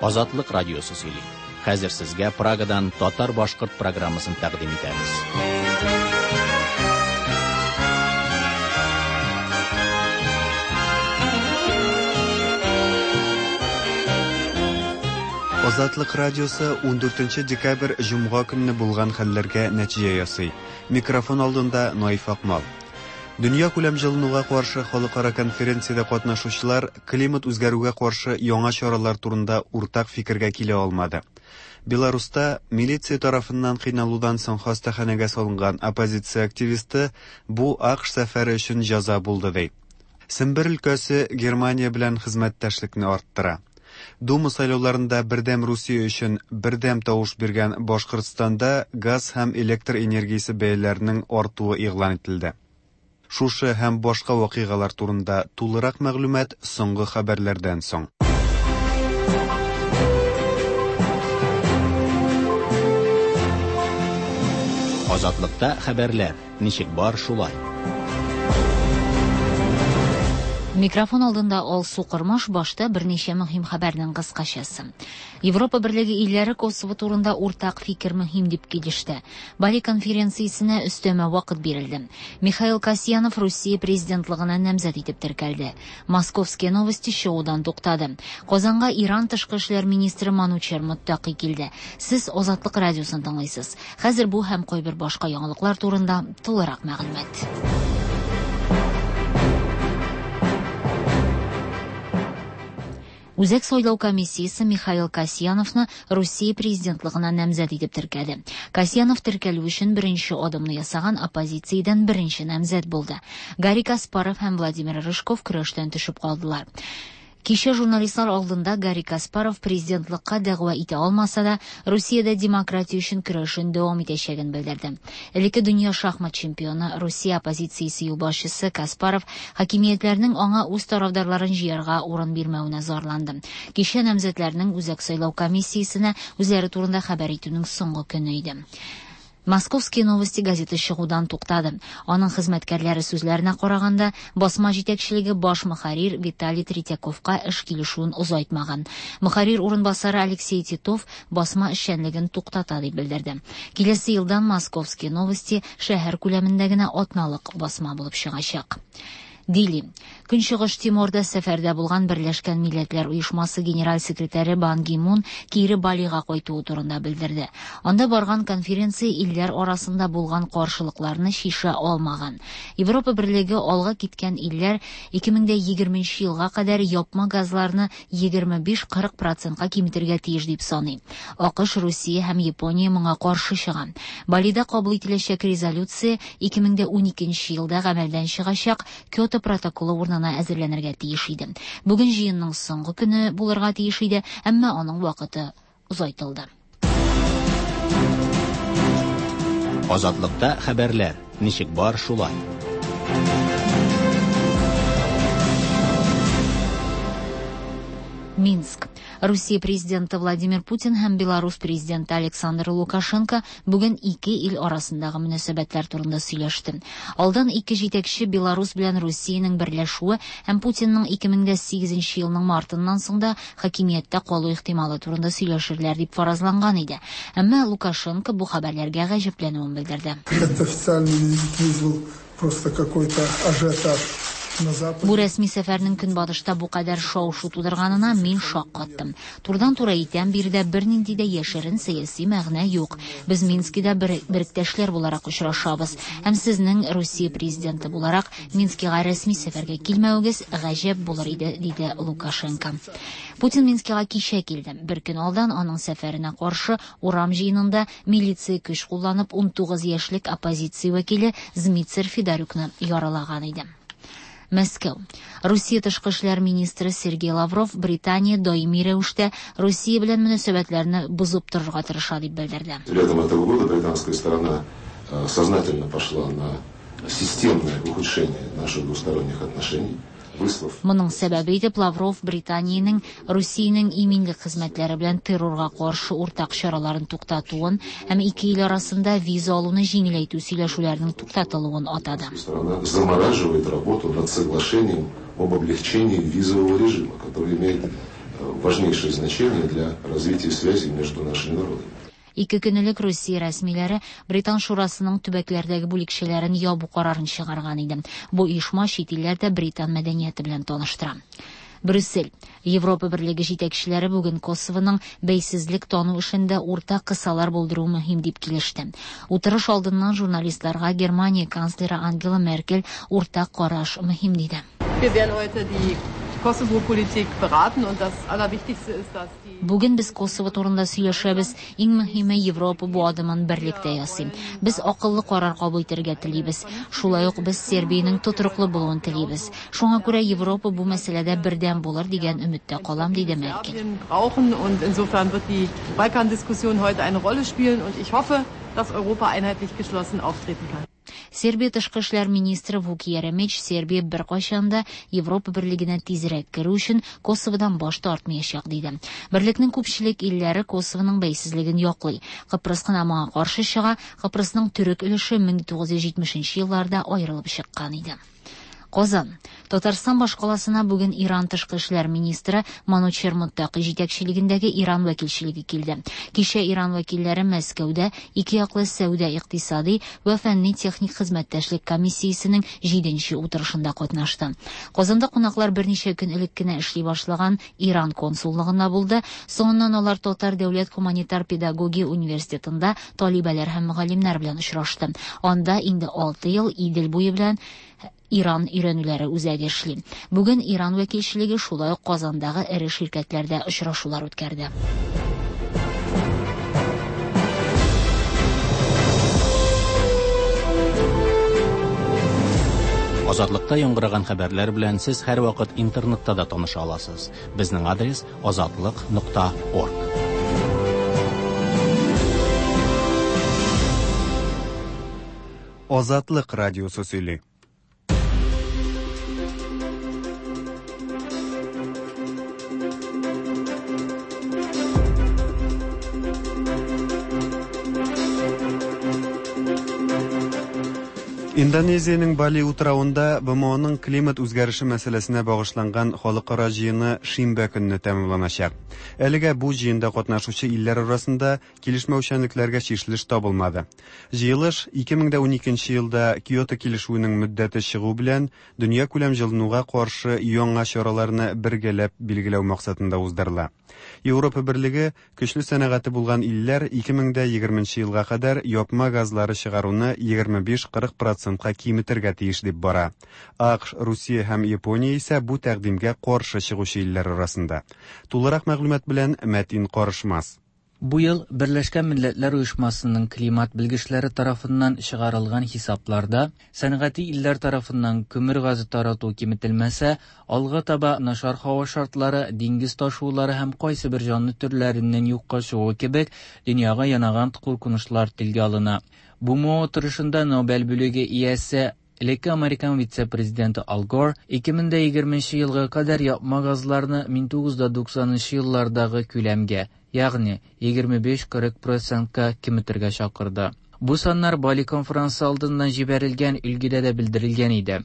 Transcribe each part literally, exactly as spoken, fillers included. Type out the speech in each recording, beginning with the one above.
Азатлык радиосы сөйли. Хәзер сезгә Прагадан татар-башкорт программасын тәкъдим итәбез. Азатлык радиосы ундүртенче декабрь җомга көнне булган хәлләргә нәтиҗә ясый. Микрофон алдында Наиф Акмал. Дөнья күләм җылынуга каршы халыкара конференциядә катнашучылар климат үзгәрүгә каршы яңа чаралар турында уртак фикергә килә алмады. Беларуста милиция тарафыннан кыйналудан соң хастаханәгә салынган оппозиция активисты бу АКШ сәфәре өчен җәза булды ди. Сембер өлкәсе Германия белән хезмәттәшлекне арттыра. Дума сайлауларында Бердәм Русия өчен бердәм тавыш биргән Башкортстанда газ һәм электр энергиясе бәяләренең артуы игълан ителде. Шушы һәм башка вакыйгалар турында тулырак мәгълүмат соңгы хәбәрләрдән соң. Азатлыкта хәбәрләр ничек бар шулай. Микрофон алдында Алсу Кормаш, башта берничә мөһим хәбәрнең кыскачасы. Европа Берлеге илләре Косово турында уртак фикер мөһим дип килеште. Бали конференциясенә өстәмә вакыт бирелде. Михаил Касьянов Русия президентлыгына намзәт итеп теркәлде. Московские новости шоудан туктады. Казанга Иран тышкы эшләр министры Манучер Муттаки килде. Сез Азатлык радиосын тыңлыйсыз. Хәзер бу һәм кайбер башка яңалыклар турында тулырак мәгълүмат. Үзәк сайлау комиссиясе Михаил Касьяновны Русия президентлыгына намзәт итеп теркәде. Касьянов теркәлү өчен беренче адымны ясаган оппозициядән беренче намзәт булды. Гарри Каспаров һәм Владимир Рыжков көрәштән төшеп калдылар. Кичә журналистлар алдында Гарри Каспаров президентлыкка дәгъва итә алмаса да, Русиядә демократия өчен көрәшен дәвам итәчәген белдерде. Элекке дөнья шахмат чемпионы, Русия оппозициясе юлбашчысы Каспаров хакимиятләрнең аңа үз тарафдарларын җыярга урын бирмәвенә зарланды. Кичә намзәтләрнең Үзәк сайлау комиссиясенә үзләре турында хәбәр итүнең соңгы көне иде. Московские новости газеты чыгудан туктады. Аның хезмәткәрләре сүзләренә караганда, басма җитәкчелеге баш мөхәррир Виталий Третьяковка эш килешүен озайтмаган. Мөхәррир урынбасары Алексей Титов басма эшчәнлеген туктата дип белдерде. Киләсе елдан Московские новости шәһәр күләмендә генә атналык басма булып чыгачак. Дили. Көнчыгыш Тиморда сәфәрдә булган Берләшкән Милләтләр Оешмасы генераль секретаре Бан Ги Мун кире Балига кайтуы турында белдерде. Анда барган конференция илләр арасында булган каршылыкларны шиша алмаган. Европа Берлеге алга киткән илләр ике мең дә егерменче елга кадәр япма газларны егерме биш кырык процентка киметергә тиеш дип саный. АКШ, Русия һәм Япония моңа каршы чыга. Балида кабул ителәчәк резолюция ике мең дә уникенче елда гамәлдән чыгачак Киото протоколы урынына әзерләнергә тиеш иде. Бүген җыенның соңгы көне булырга тиеш иде, әмма аның вакыты озайтылды. Азатлыкта хәбәрләр ничек бар шулай. Минск. Русия президенты Владимир Путин һәм Беларусь президенты Александр Лукашенко бүген ике ил арасындагы мөнәсәбәтләр турында сөйләште. Алдан ике җитәкче Беларусь белән Русиянең берләшүе һәм Путинның ике мең дә сигезенче елның мартыннан соң да хакимияттә калу ихтималы турында сөйләшерләр дип фаразланган иде. Әмма Лукашенко бу хәбәрләргә гаҗәпләнүен белдерде. Этот официальный визит вызвал просто какой-то ажиотаж. Бу рәсми сәфәрнең көнбатышта бу кадәр шау-шу тудырганына мин шаккаттым. Турыдан-туры әйтәм, биредә бернинди дә яшерен сәяси мәгънә юк. Без Минскида бер, беректәшләр буларак очрашабыз. Һәм сезнең Русия президенты буларак Минскига рәсми сәфәргә килмәвегез гаҗәп булыр иде, диде Лукашенко. Путин Минскига кичә килде. Бер көн алдан аның сәфәренә каршы урам җыенында милиция көч кулланып унтугыз яшьлек оппозиция вәкиле Змитцер Федорюкны яралаган иде. Мәскәү. Русия тышкы эшләр министры Сергей Лавров Британия даими рәвештә Русия белән мөнәсәбәтләрне бозып торырга тырыша дип белдерде. Летом этого года британская сторона сознательно пошла на системное ухудшение наших двусторонних отношений. Моның сәбәбе итеп Лавров Британиянең Русиянең иминлек хезмәтләре белән террорга каршы уртак чараларын туктатуын һәм ике ил арасында виза алуны җиңеләйтү сөйләшүләренең туктатылуын атады. Страна замораживает работу над соглашением об облегчении визового режима, который имеет важнейшее значение для развития связей между нашими народами. Ике көн элек Русия рәсмиләре Британ шурасының төбәкләрдәге бүлекчәләрен ябу карарын чыгарган иде. Бу оешма чит илләрдә британ мәдәнияте белән таныштыра. Брюссель. Европа Берлеге җитәкчеләре бүген Косовоның бәйсезлек тану эшендә уртак кысалар булдыру мөһим дип килеште. Утырыш алдыннан журналистларга Германия канцлеры Ангела Меркель уртак караш мөһим диде. Бүген без Косово турында сөйләшәбез. Иң мөһиме Европа бу адымын берлектә ясый. Без акыллы карар кабул итәргә телибез. Шулай ук без Сербиянең тотрыклы булуын телибез. Шуңа күрә Европа бу мәсьәләдә бердәм булыр дигән өметтә калам, диде Меркель. Und insofern wird die Balkan-Diskussion heute eine Rolle spielen und ich hoffe, dass Europa einheitlich geschlossen auftreten kann. Сербия тышкы эшләр министры Вук Еремич Сербия беркайчан да Европа Берлегенә тизрәк керү өчен Косоводан баш тартмаячак диде. Берлекнең күпчелек илләре Косовоның бәйсезлеген яклый. Кыпрыс кына моңа каршы чыга. Кыпрысның төрек өлеше мең тугыз йөз җитмешенче елларда аерылып чыккан иде. Казан. Татарстан башкаласына бүген Иран тышкы эшләр министры Манучер Муттаки җитәкчелегендәге Иран вәкилчелеге килде. Кичә Иран вәкилләре Мәскәүдә ике яклы сәүдә икътисади вә фәнни техник хезмәттәшлек комиссиясенең җиденче утырышында катнашты. Казанда кунаклар берничә көн элек кенә эшли башлаган Иран консуллыгында булды. Соңыннан алар Татар дәүләт гуманитар педагогия университетында талибәләр һәм мөгаллимнәр белән очрашты. Анда инде алты ел Идел буе белән Иран өйрәнүләре үзәге эшли. Бүген Иран вәкилчелеге шулай ук Казандагы эре ширкәтләрдә очрашулар үткәрде. Азатлыкта яңгыраган хәбәрләр белән сез һәрвакыт интернетта да таныша аласыз. Безнең адрес азатлык нокта орг. Азатлык радиосы сөйли. Индонезиянең Бали утравында Б М Оның климат үзгәреше мәсьәләсенә багышланган халыкара җыены шимбә көнне тәмамланачак. Әлегә бу җыенда катнашучы илләр арасында килешмәүчәнлекләргә чишелеш табылмады. Җыелыш ике мең дә уникенче елда Киото килешүенең мөддәте чыгу белән дөнья күләм җылынуга каршы яңа чараларны бергәләп билгеләү максатында уздырыла. Европа Берлеге көчле сәнәгате булган илләр ике мең дә егерменче елга кадәр япма газлары чыгаруны егерме биш кырык процентка киметергә тиеш дип бара. АКШ, Русия һәм Япония исә бу тәкъдимгә каршы чыгучы илләр арасында. Тулырак мәгълүмат белән Мәтин Карышмас. Бу ел Берләшкән Милләтләр Оешмасының климат белгечләре тарафыннан чыгарылган хисапларда сәнәгати илләр тарафыннан көмер газы тарату киметелмәсә, алга таба начар һава шартлары, диңгез ташулары һәм кайсы бер җанлы төрләреннән юкка чыгу кебек дөньяга янаган куркынычлар телгә алына. Бу утырышында Нобель бүлеге иясе элекке Американ вице-президенты Ал Гор ике мең дә егерменче елга кадәр япма газларны мең тугыз йөз туксанынчы еллардагы күләмгә, ягъни егерме биш кырык процентка киметергә чакырды. Бу саннар Бали конференсы алдыннан җибәрелгән өлгедә дә белдерелгән иде.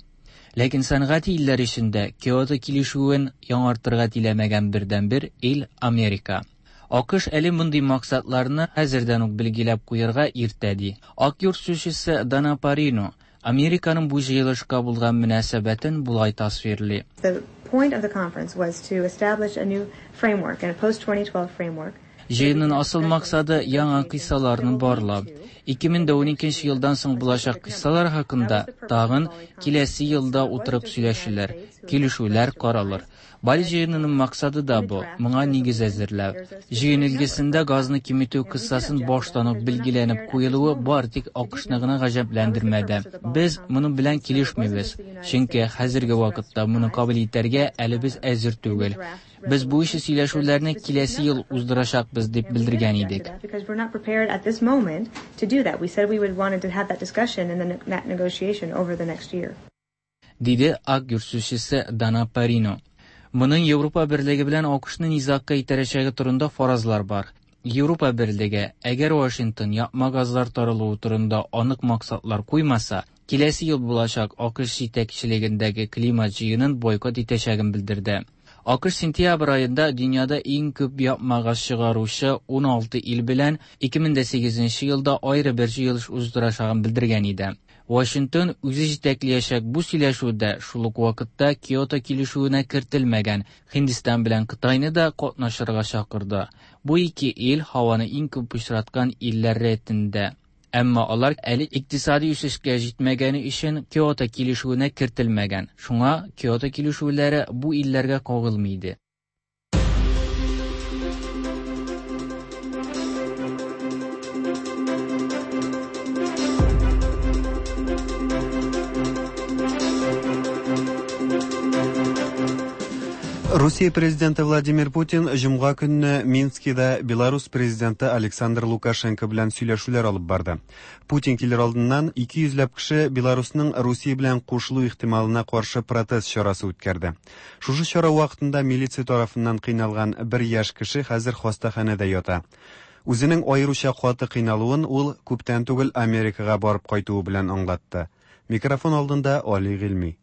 Ләкин сәнәгать илләре эчендә Киото килешүен яңартырга теләмәгән бердәнбер ил Америка. АКШ әле мондый максатларны хәзердән үк билгеләп куярга иртә ди. Ак йорт сүзчесе Дана Парино Американың бу җыелышка булган мөнәсәбәтен болай тасвирлый. The point of the conference was to establish a new framework and a post twenty twelve framework. Җыенның асыл максаты яңа кыйссаларны барлау. ике мең дә уникенче елдан соң булачак кыйссалар хакында тагын киләсе елда утырып сөйләшүләр, килешүләр каралыр. Бали җыенының максаты да бу, моңа нигез әзерләү. Җыен өлгесендә газны киметү кыссасын баштан ук билгеләнеп куелуы бар тик АКШны гына гаҗәпләндермәде. Без моның белән килешмибез, чөнки хәзерге вакытта моны кабул итәргә әле без әзер түгел. Без бу ише сөйләшүләрне киләсе ел уздырачакбыз дип белдергән идек. Because we're not prepared at this moment to do that. We said we would wanted to have that discussion and then that negotiation over the next year. Диде Ак йорт сүзчесе Дана Парино. Моның Европа Берлеге белән АКШны низагка итәрәчәге турында фаразлар бар. Европа Берлеге, әгәр Вашингтон япма газлар таралуы турында анык максатлар куймаса, киләсе ел булачак АКШ җитәкчелегендәге климат җыенын бойкот итәчәген белдерде. АКШ сентябрь аенда дөньяда иң күп япма газ чыгаручы уналты ил белән ике мең дә сигезенче елда аеры бер җыелыш уздырачагын белдергән иде. Вашингтон үзе җитәкләячәк бу сөйләшүдә шул ук вакытта Киото килешүенә кертелмәгән Һиндстан белән Кытайны да катнашырга чакырды. Бу ике ил һаваны иң күп пычраткан илләр рәтендә. Әмма алар әле икътисади үсешкә җитмәгәне өчен Киото килешүенә кертелмәгән. Шуңа Киото килешүләре бу илләргә кагылмый иде. Русия президенты Владимир Путин җомга көнне Минскида Беларус президенты Александр Лукашенко белән сөйләшүләр алып барды. Путин килер алдыннан ике йөзләп кеше Беларусның Русия белән кушылу ихтималына каршы протест чарасы үткәрде. Шушы чара вакытында милиция тарафыннан кыйналган бер яшь кеше хәзер хастаханәдә ята. Үзенең аеруча каты кыйналуын ул күптән түгел Америкага барып кайтуы белән аңлатты. Микрофон алдында Али Гыйльми.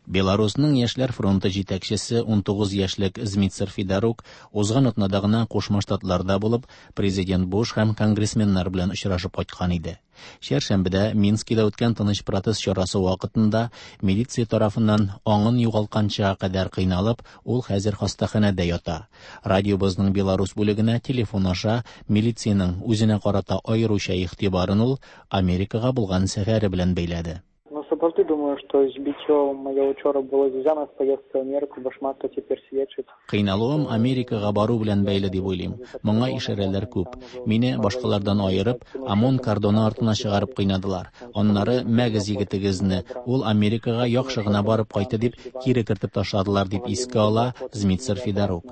Беларусның Яшьләр фронты җитәкчесе унтугыз яшьлек Змитсер Федорук узган атнада гына Кушма Штатларда булып, президент Буш һәм конгрессменнар белән очрашып кайткан иде. Чәршәмбедә Минскида үткән тыныч протест чарасы вакытында милиция тарафыннан аңын югалтканча кадәр кыйналып, ул хәзер хастаханәдә ята. Радиобызның Беларус бүлегенә телефон аша милициянең үзенә карата аеруча игътибарын ул Америкага булган сәфәре белән бәйләде. Сапраўды думаю, што збіццё маё учора было звязана з паездкай ў Амерыку, бо шмат хто цяпер сведчыць. Кыйналуым Америкага бару белән бәйле дип уйлыйм. Моңа ишарәләр күп. Мине башкалардан аерып, ОМОН кордоны артына чыгарып кыйнадылар. Аннары мәгез егетегезне, ул Америкага яхшы гына барып кайтты дип кире кертеп ташладылар дип искә ала Змитсер Федорук.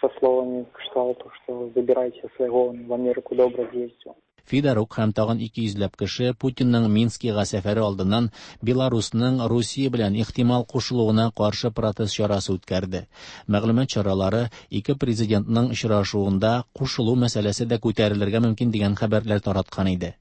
Со словами кшталту, что забирайте своего, он в Америку добро съездил. Федорук һәм тагын ике йөзләп кеше Путинның Минскига сәфәре алдыннан Беларусның Русия белән ихтимал кушылуына каршы протест чарасы үткәрде. Мәгълүмат чаралары ике президентның очрашуында кушылу мәсьәләсе дә күтәрелергә мөмкин дигән хәбәрләр тараткан иде.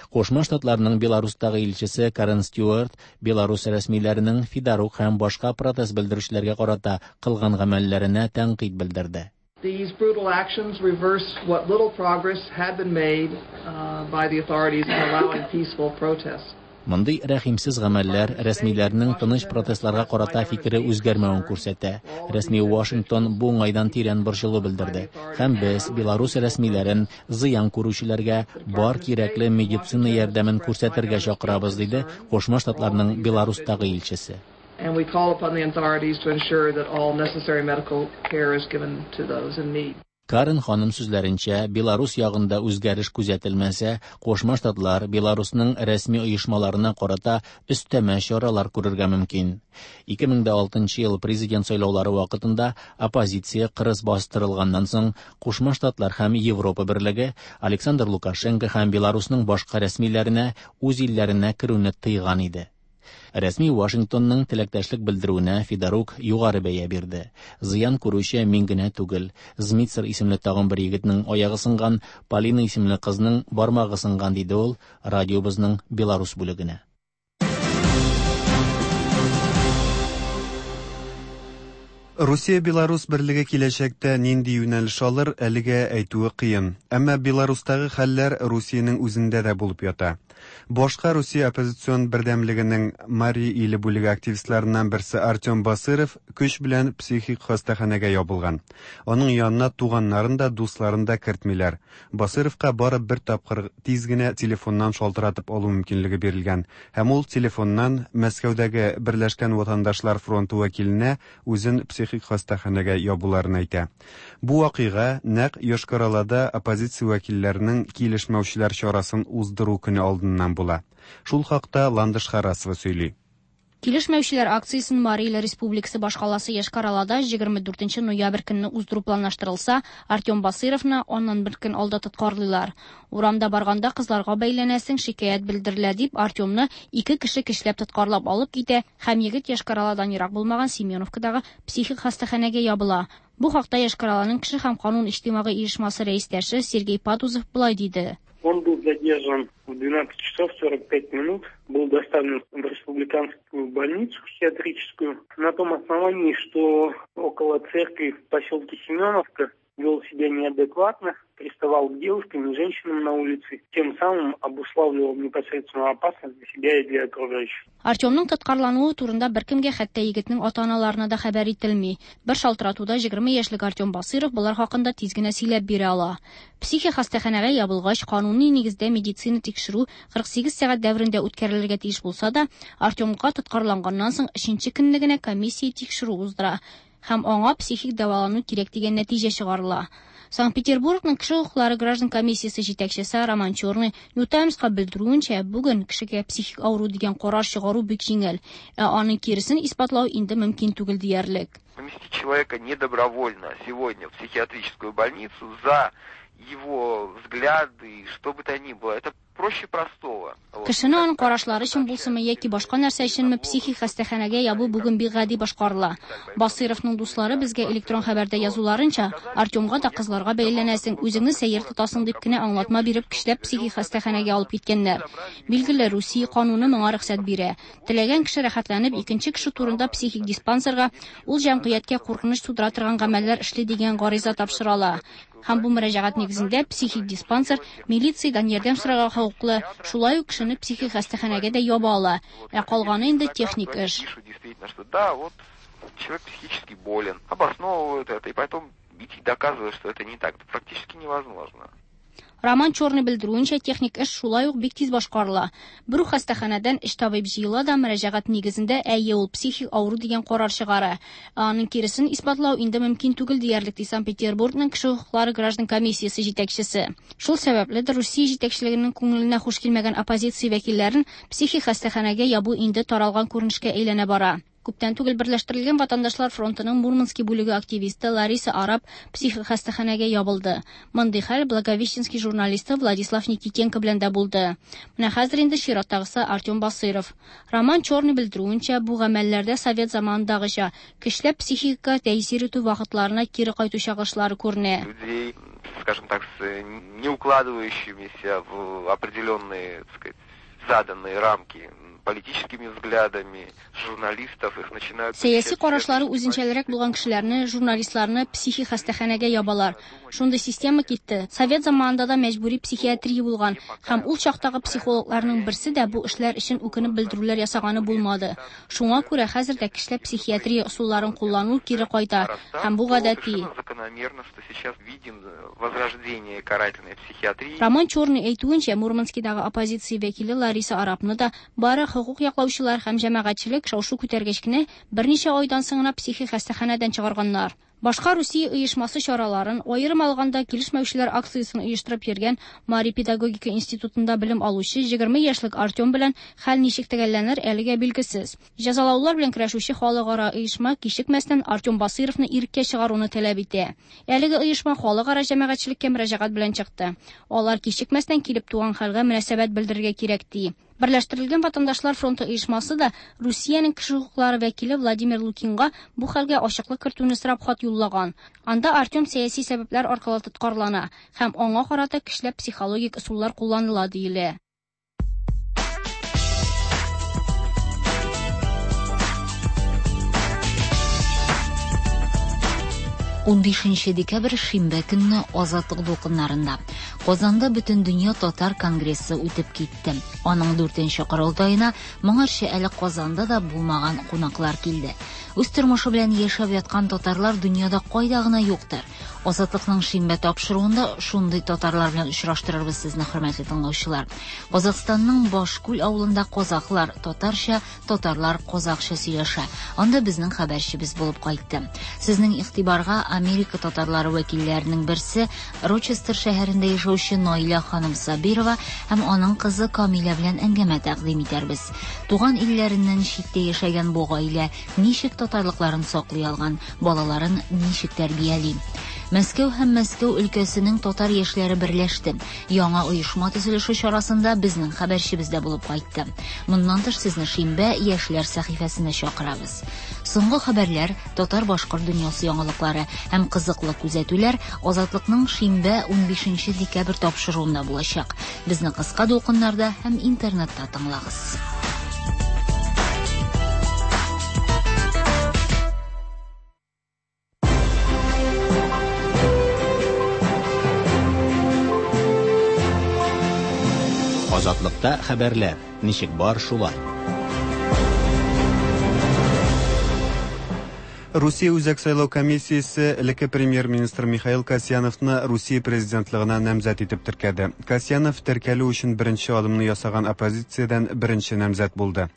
Кушма Штатларның Беларустагы илчесе Карен Стюарт Беларус рәсмиләренең Федорук һәм башка протест белдерүчеләргә карата кылган гамәлләренә тәнкыйть белдерде. These brutal actions reverse what little progress had been made, uh, by the authorities in allowing peaceful protests. Мондый рәхимсез гамәлләр рәсмиләрнең тыныч протестларга карата фикере үзгәрмәвен күрсәтә. Рәсми Вашингтон бу уңайдан тирән борчылу белдерде. Һәм без Беларус рәсмиләрен зыян күрүчеләргә бар кирәкле медицина ярдәмен күрсәтергә чакырабыз, диде Кушма Штатларның Беларустагы илчесе. And we call upon the authorities to ensure that all necessary medical care is given to those in need. Карен ханым сүзләренчә, Беларус ягында үзгәреш күзәтелмәсә, Кушма Штатлар Беларусның рәсми оешмаларына карата өстәмә чаралар күрергә мөмкин. Ике мең дә алтынчы ел президент сайлаулары вакытында оппозиция кырыс бастырылганнан соң Кушма Штатлар һәм Европа берлеге Александр Лукашенко һәм Беларусның башка рәсмиләренә үз илләренә керүне тыйган иде. Рәсми Вашингтонның теләктәшлек белдерүенә Федорук югары бәя бирде. Зыян күрүче мин генә түгел. Змитсер исемле тагын бер егетнең аягы сынган, Полина исемле кызның бармагы сынган, диде ул радиобызның Беларус бүлегенә. Русия-Беларус берлеге киләчәктә нинди юнәлеш алыр, әлегә әйтүе кыен. Әмма Беларустагы хәлләр Русиянең үзендә дә булып ята. Башка Русия оппозицион бердәмлегенең Мари иле бүлеге активистларыннан берсе Артем Басыров көч белән психик хастаханәгә ябылган. Аның янына туганнарын да, дусларын да кертмиләр. Басыровка барып бер тапкыр тиз генә телефоннан шалтыратып алу мөмкинлеге бирелгән. Һәм ул телефоннан Мәскәүдәге Берләшкән ватандашлар фронты вәкиленә үзен психик хастаханәгә ябуларын әйтә. Бу вакыйга нәкъ Йошкар-Олада оппозиция вәкилләренең килешмәүчеләр чарасын уздыру көне алдыннан була. Шул хакта Ландыш Харасова сөйли. Килешмәүчеләр акциясен Мари Иле Республикасы башкаласы Йошкар-Олада егерме дүртенче ноябрь көнне уздыру планлаштырылса, Артем Басыровны аннан бер көн алда тоткарлыйлар. Урамда барганда кызларга бәйләнәсең, шикаять белдерелә дип Артемны ике кеше көчләп тоткарлап алып китә һәм егет Йошкар-Оладан ерак булмаган Семеновкадагы психик хастаханәгә ябыла. Бу хакта Йошкар-Оланың кеше һәм канун иҗтимагый оешмасы рәистәше Сергей Патузов болай диде. Он был задержан задержан в двенадцать часов сорок пять минут, был доставлен в республиканскую больницу психиатрическую на том основании, что около церкви в поселке Семеновка вел себя неадекватно, приставал к девушкам и женщинам на улице, тем самым обуславливал непосредственную опасность для себя и для окружающих. Артемның тоткарлануы турында беркемгә, хәтта егетнең ата-аналарына да хәбәр ителми. Бер шалтыратуда егерме яшьлек Артем Басыров болар хакында тиз генә сөйләп бирә ала. Психик хастаханәгә ябылгач, кануни нигездә медицина тикшерү кырык сигез сәгать дәверендә үткәрелергә тиеш булса да, Артемга тоткарланганнан соң өченче көнне генә комиссия тикшерү уздыра һәм аңа психик дәвалану кирәк дигән нәтиҗә чыгарыла. Санкт-Петербургның кеше хокуклары граждан комиссиясе җитәкчесе Роман Черный New Timesка белдерүенчә, бүген кешегә психик авыру дигән карар чыгару бик җиңел, ә аның киресен исбатлау инде мөмкин түгел диярлек. Поместить человека недобровольно сегодня в психиатрическую больницу за его взгляды, что бы то ни было, это проще простого. Кешене аның карашлары өчен булсынмы яки башка нәрсә өченме психик хастаханәгә ябу бүген бик гади башкарыла. Басыровның дуслары безгә электрон хәбәрдә язуларынча, Артемга да кызларга бәйләнәсең, үзеңне сәер тотасың дип кенә аңлатма биреп көчләп психик хастаханәгә алып киткәннәр. Билгеле, Русия кануны моңа рөхсәт бирә. Теләгән кеше рәхәтләнеп икенче кеше турында психик диспансерга, ул җәмгыятькә куркыныч тудыра торган гамәлләр эшли дигән гариза тапшыра ала. Һәм бу мөрәҗәгать нигезендә психик диспансер милициядән ярдәм сорарга хокуклы, шулай ук кешене психик хастаханәгә дә яба ала. Ә калганы инде техник эш. Действительно, что да, вот человек психически болен, обосновывают это и потом идти доказывают, что это не так, это практически невозможно. Роман Черный белдерүенчә, техник эш шулай ук бик тиз башкарыла. Бер үк хастаханәдән өч табиб җыела да мөрәҗәгать нигезендә әйе ул психик авыру дигән карар чыгара. Ә аның киресен исбатлау инде мөмкин түгел диярлек, ди Санкт-Петербургның кеше хокуклары граждан комиссиясе җитәкчесе. Шул сәбәпле дә Русия җитәкчелегенең күңеленә хуш килмәгән оппозиция вәкилләрен психик хастаханәгә ябу инде таралган күренешкә әйләнә бара. Күптән түгел Берләштерелгән Ватандашлар фронтының Мурманский бүлеге активисты Лариса Араб психик хастаханәгә ябылды. Мондый хәл Благовещенский журналисты Владислав Никитенко белән дә булды. Менә хәзер инде чираттагысы Артем Басыров. Роман Черный белдерүенчә, бу гамәлләрдә совет заманындагыча көчләп психикага тәэсир итү вакытларына кире кайту чагышлары күренә. Людей, скажем так, с не укладывающимися в определенные, так сказать, заданные рамки политическими взглядами, журналистов, их начинают... Сәяси карашлары үзенчәлерәк булган кешеләрне, журналистларны психик хастаханәгә ябалар. Шундый система китте. Совет заманында да мәҗбүри психиатрия булган һәм ул чактагы психологларның берсе дә бу эшләр өчен үкенеп белдерүләр ясаганы булмады. Шуңа күрә хәзер дә кешеләр психиатрия ысулларын куллану кире кайта һәм бу гадәти. Закономерно, что сейчас видим возрождение карательной психиатрии. Роман Черный әйтүенчә, Мурманскидагы оппозиция вәкиле Лариса Арабны да бары хокук яклаучылар һәм җәмәгатьчелек шау-шу күтәргәч кенә берничә айдан соң гына психик хастаханәдән чыгарганнар. Башка Русия оешмасы чараларын, аерым алганда килешмәүчеләр акциясен оештырып йөргән Мари педагогика институтында белем алучы егерме яшьлек Артем белән хәл ничек төгәлләнер әлегә билгесез. Җәзалаулар белән көрәшүче халыкара оешма кичекмәстән Артем Басыровны иреккә чыгаруны таләп итә. Әлеге оешма халыкара җәмәгатьчелеккә мөрәҗәгать белән чыкты. Алар кичекмәстән килеп туган хәлгә мөнәсәбәт белдерергә кирәк ди. Берләштерелгән Ватандашлар фронты оешмасы да Русиянең кеше хокуклары вәкиле Владимир Лукинга бу хәлгә ачыклык кертүне сорап хат юллаган. Анда Артем сәяси сәбәпләр аркылы тоткарлана һәм аңа карата көчләп психологик ысуллар кулланыла диелә. Унбишенче декабрь шимбә көнне Азатлык дулкыннарында Казанда Бөтендөнья татар конгрессы үтеп китте. Аның дүртенче корылтаена моңарчы әле Казанда да булмаган кунаклар килде. Үз тормышы белән яшәп яткан татарлар дөньяда кайда гына юктыр. Азатлыкның шимбә тапшыруында шундый татарлар белән очраштырырбыз сезне, хөрмәтле тыңлаучылар. Казахстанның Башкүл авылында казахлар татарча, татарлар казахча сөйләшә. Анда безнең хәбәрчебез булып кайтты. Сезнең игътибарга Америка татарлары вәкилләренең берсе Рочестер шәһәрендә яшәүче Наилә ханым Сабирова һәм аның кызы Камилә белән әңгәмә тәкъдим итәрбез. Туган илләреннән читтә яшәгән бу гаилә ничек татарлыкларын саклый алган, балаларын ничек тәрбияли. Мәскәү һәм Мәскәү өлкәсенең татар яшьләре берләште. Яңа оешма төзелеше чарасында безнең хәбәрчебез дә булып кайтты. Моннан тыш сезне шимбә яшьләр сәхифәсенә чакырабыз. Соңгы хәбәрләр, татар-башкорт дөньясы яңалыклары һәм кызыклы күзәтүләр Азатлыкның шимбә унбишенче декабрь тапшыруында булачак. Безне кыска дулкыннарда һәм интернетта тыңлагыз. Азатлыкта хәбәрләр ничек бар шулай. Русия Үзәк сайлау комиссиясе элекке премьер-министр Михаил Касьяновны Русия президентлыгына намзәт итеп теркәде. Касьянов теркәлү өчен беренче адымны ясаган оппозициядән беренче намзәт булды.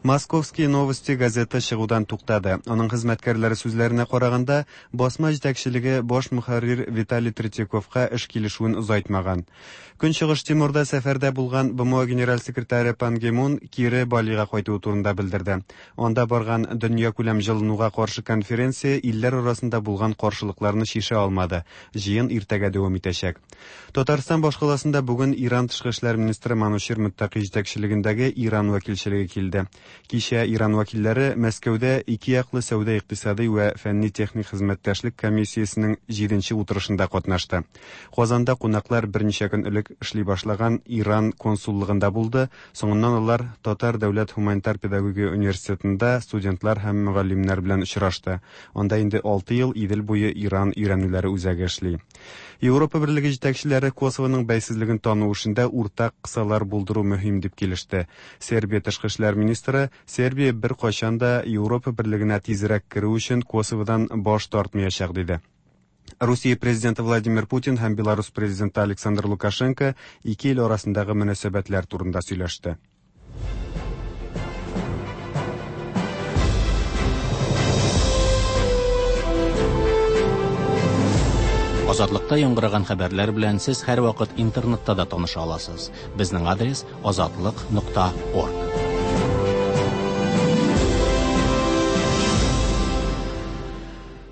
Московские новости газеты чыгудан туктады. Аның хезмәткәрләре сүзләренә караганда, басма җитәкчелеге баш мөхәррир Виталий Третьяковка эш килешүен озайтмаган. Көнчыгыш Тимурда сәфәрдә булган Б М О генераль секретаре Пан Ги Мун кире Балига кайтуы турында белдерде. Анда барган дөнья күләм җылынуга каршы конференция илләр арасында булган каршылыкларны шиша алмады. Җыен иртәгә дәвам итәчәк. Татарстан башкаласында бүген Иран тышкы эшләр министры Манучер Мөттаки җитәкчелегендәге Иран вәкилчелеге килде. Кичә Иран вәкилләре Мәскәүдә ике яклы сәүдә-икътисади вә фәнни-техник хезмәттәшлек комиссиясенең җиденче утырышында катнашты. Казанда кунаклар берничә көн элек эшли башлаган Иран консуллыгында булды. Соңыннан алар Татар дәүләт һуманитар педагогия университетында студентлар һәм мөгаллимнәр белән очрашты. Анда инде алты ел Идел буе Иран өйрәнүләре үзәге эшли. Европа Берлеге җитәкчеләре Косовоның бәйсезлеген тану эшендә уртак кысалар булдыру мөһим дип килеште. Сербия тышкы эшләр министры Сербия бер кайчан да Европа Берлегенә тизрәк керү өчен Косоводан баш тартмаячак диде. Русия президенты Владимир Путин һәм Беларусь президенты Александр Лукашенко ике ил арасындагы мөнәсәбәтләр турында сөйләште. Азатлыкта яңгыраган хәбәрләр белән сез һәрвакыт интернетта да таныша аласыз. Безнең адрес азатлык нокта орг.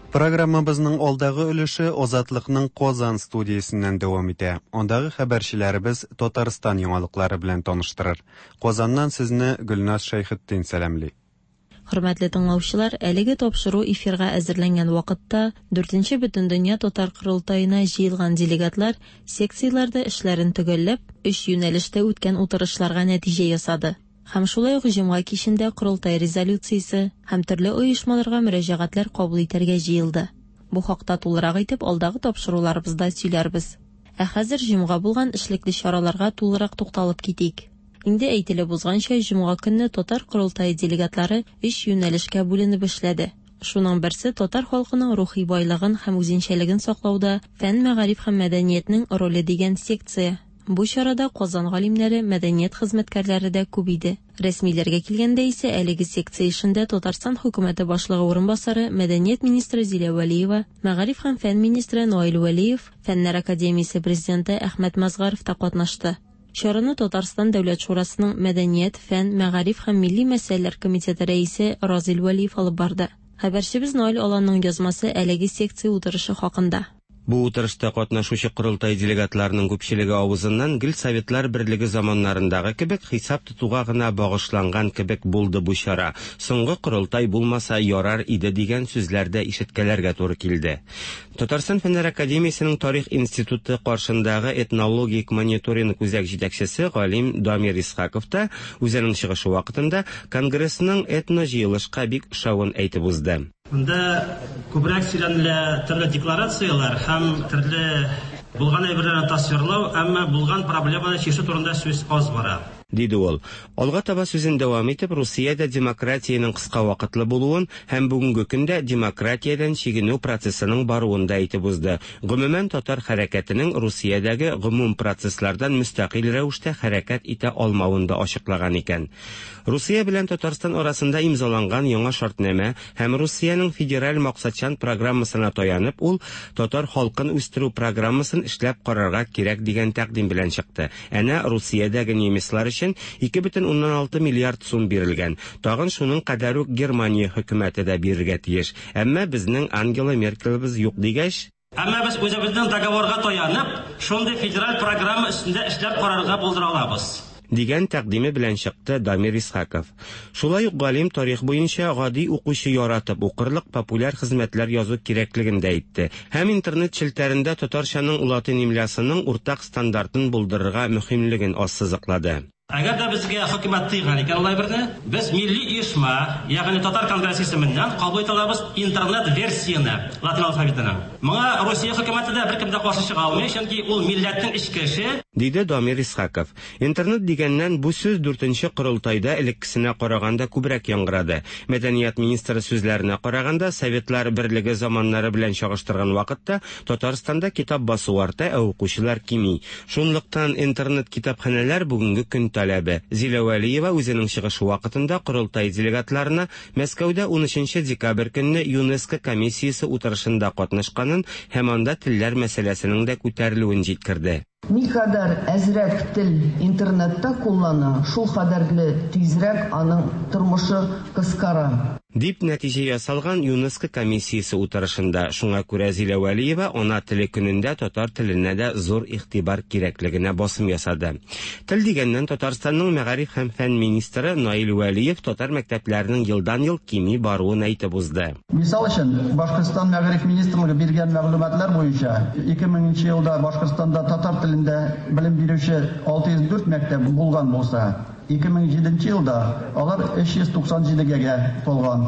Программабызның алдагы өлеше Азатлыкның Казан студиясеннән дәвам итә. Андагы хәбәрчеләребез Татарстан яңалыклары белән таныштырыр. Казаннан сезне Гөлназ Шәйхетдин сәламли. Хөрмәтле тыңлаучылар, әлеге тапшыру эфирга әзерләнгән вакытта дүртенче Бөтендөнья татар корылтаена җыелган делегатлар секцияләрдә эшләрен төгәлләп, өч юнәлештә үткән утырышларга нәтиҗә ясады. Һәм шулай ук җомга кичендә корылтай резолюциясе һәм төрле оешмаларга мөрәҗәгатьләр кабул итәргә җыелды. Бу хакта тулырак итеп алдагы тапшыруларыбызда сөйләрбез. Ә хәзер җомга булган эшлекле чараларга тулырак тукталып китик. Инде әйтелеп узганча, җомга көнне татар корылтае делегатлары өч юнәлешкә бүленеп эшләде. Шуның берсе татар халкының рухи байлыгын һәм үзенчәлеген саклауда фән, мәгариф һәм мәдәниятнең роле дигән секция. Бу чарада Казан галимнәре, мәдәният хезмәткәрләре дә күп иде. Рәсмиләргә килгәндә исә әлеге секция эшендә Татарстан хөкүмәте башлыгы урынбасары, мәдәният министры Зилә Вәлиева, мәгариф һәм фән министры Наил Вәлиев, Фәннәр академиясе президенты Әхмәт Мазгаров та катнашты. Чараны Татарстан Дәүләт Шурасының Мәдәният, фән, мәгариф һәм милли мәсьәләләр комитеты рәисе Разил Вәлиев алып барды. Хәбәрчебез Наил Аланның язмасы әлеге секция утырышы хакында. Бу утырышта катнашучы корылтай делегатларының күпчелеге авызыннан гел Советлар Берлеге заманнарындагы кебек хисап тотуга гына багышланган кебек булды бу чара. Соңгы корылтай булмаса ярар иде дигән сүзләр дә ишеткәләргә туры килде. Татарстан Фәннәр академиясенең Тарих институты каршындагы этнологик мониторинг үзәк җитәкчесе галим Дамир Исхаков та үзенең чыгышы вакытында конгрессның этно җыелышка бик ошавын әйтеп узды. Монда күбрәк сөйләнелә төрле декларацияләр һәм төрле булган әйберләрне тасвирлау, әмма булган проблеманы чишү турында сүз аз бара. Диде ул. Алга таба сүзен дәвам итеп, Русиядә демократиянең кыска вакытлы булуын һәм бүгенге көндә демократиядән чигенү процессының баруын да әйтеп узды. Гомумән, татар хәрәкәтенең Русиядәге гомум процесслардан мөстәкыйль рәвештә хәрәкәт итә алмавын да ачыклаган икән. Русия белән Татарстан арасында имзаланган яңа шартнамә һәм Русиянең федераль максатчан программасына таянып, ул татар халкын үстерү программасын эшләп карарга кирәк дигән тәкъдим белән чыкты. Әнә Русиядәге немецлар өчен ике бөтен уннан алты миллиард сум бирелгән. Тагын шуның кадәр үк Германия хөкүмәте дә бирергә тиеш. Әмма безнең Ангела Меркелебез юк дигәч, Әмма без үзебезнең договорга таянып, шундый федераль программа өстендә эшләп карарга булдыра алабыз, дигән тәкъдиме белән чыкты Дамир Исхаков. Шулай ук галим тарих буенча гади укучы яратып укырлык популяр хезмәтләр язу кирәклеген дә әйтте. Һәм интернет челтәрендә татарчаның латин имлясының уртак стандартын булдырырга мөһимлеген ассызыклады. Әгәр дә безгә хөкүмәт тыйган икән алай берне, без милли оешма, ягъни Татар конгрессы исеменнән кабул итә алабыз интернет версияне латин алфавитының. Моңа Русия хөкүмәте дә беркем дә каршы чыга алмый, чөнки ул милләтнең эчке эше, диде Дамир Исхаков. Интернет дигәннән бу сүз дүртенче корылтайда элеккесенә караганда күбрәк яңгырады. Мәдәният министры сүзләренә караганда, Советлар берлеге заманнары белән чагыштырган вакытта Татарстанда китап басу арта, ә укучылар кими. Шунлыктан интернет китапханәләр бүгенге көн таләбе. Зилә Вәлиева үзенең чыгышы вакытында корылтай делегатларына Мәскәүдә унөченче декабрь көнне ЮНЕСКО комиссиясе утырышында катнашканын һәм анда телләр мәсьәләсенең дә күтәрелүен җиткерде. Никадәр әзрәк тел интернетта куллана, шул кадәрле тизрәк аның тормышы кыскара, дип нәтиҗә ясалган ЮНЕСКО комиссиясе утырышында. Шуңа күрә Зилә Вәлиева ана теле көнендә татар теленә дә зур игътибар кирәклегенә басым ясады. Тел дигәннән, Татарстанның мәгариф һәм фән министры Наил Вәлиев татар мәктәпләренең елдан-ел кими баруын әйтеп узды. Мисал өчен, Башкортстан мәгариф министрлыгы биргән мәгълүматлар буенча ике меңенче елда Башкортстанда татар телендә белем бирүче алты йөз дүрт мәктәп булган булса, ике мең җиденче елда алар өч йөз туксан җидегә тулган.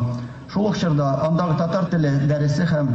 Шул ук чорда андагы татар теле дәресе һәм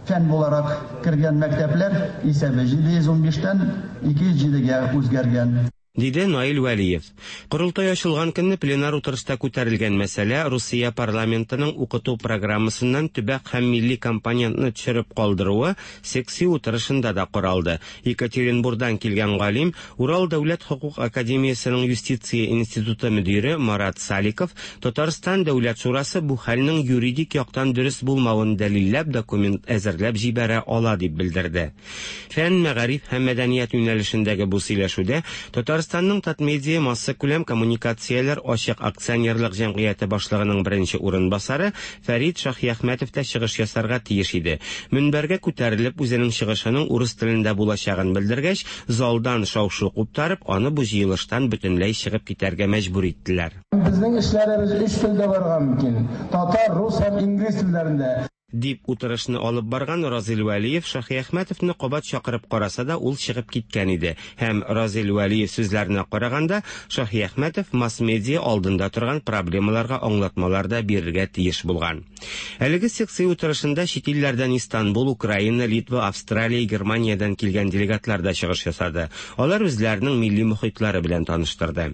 фән буларак кергән мәктәпләр исәбе җиде йөз унбиштән ике йөз җидегә үзгәргән, диде Наил Вәлиев. Корылтай ачылган көнне пленар утырышта күтәрелгән мәсьәлә Русия парламентының укыту программасыннан төбәк һәм милли компонентны төшереп калдыруы секция утырышында да каралды. Екатеринбургдан килгән галим, Урал дәүләт хокук академиясенең юстиция институты мөдире Марат Саликов Татарстан дәүләт шурасы бу хәлнең юридик яктан дөрес булмавын дәлилләп документ әзерләп җибәрә ала дип белдерде. Фән, мәгариф һәм мәдәният юнәлешендәге бу сөйләшүдә Татарстан Татарстанның Татмедиа массакүләм коммуникацияләр ачык акционерлык җәмгыяте башлыгының беренче урынбасары Фәрит Шаһиәхмәтов та чыгыш ясарга тиеш иде. Мөнбәргә күтәрелеп үзенең чыгышының урыс телендә булачагын белдергәч, залдан шау-шу куптарып, аны бу җыелыштан бөтенләй чыгып китәргә мәҗбүр иттеләр. Безнең эшләребез өч телдә барырга мөмкин: татар, рус һәм инглиз телләрендә, дип утырышны алып барган Разил Вәлиев Шаһиәхмәтовны кабат чакырып караса да, ул чыгып киткән иде. Һәм Разил Вәлиев сүзләренә караганда, Шаһиәхмәтов масс-медиа алдында торган проблемаларга аңлатмалар да бирергә тиеш булган. Әлеге секция утырышында чит илләрдән Истанбул, Украина, Литва, Австралия, Германиядән килгән делегатлар да чыгыш ясады. Алар үзләренең милли мохитлары белән таныштырды.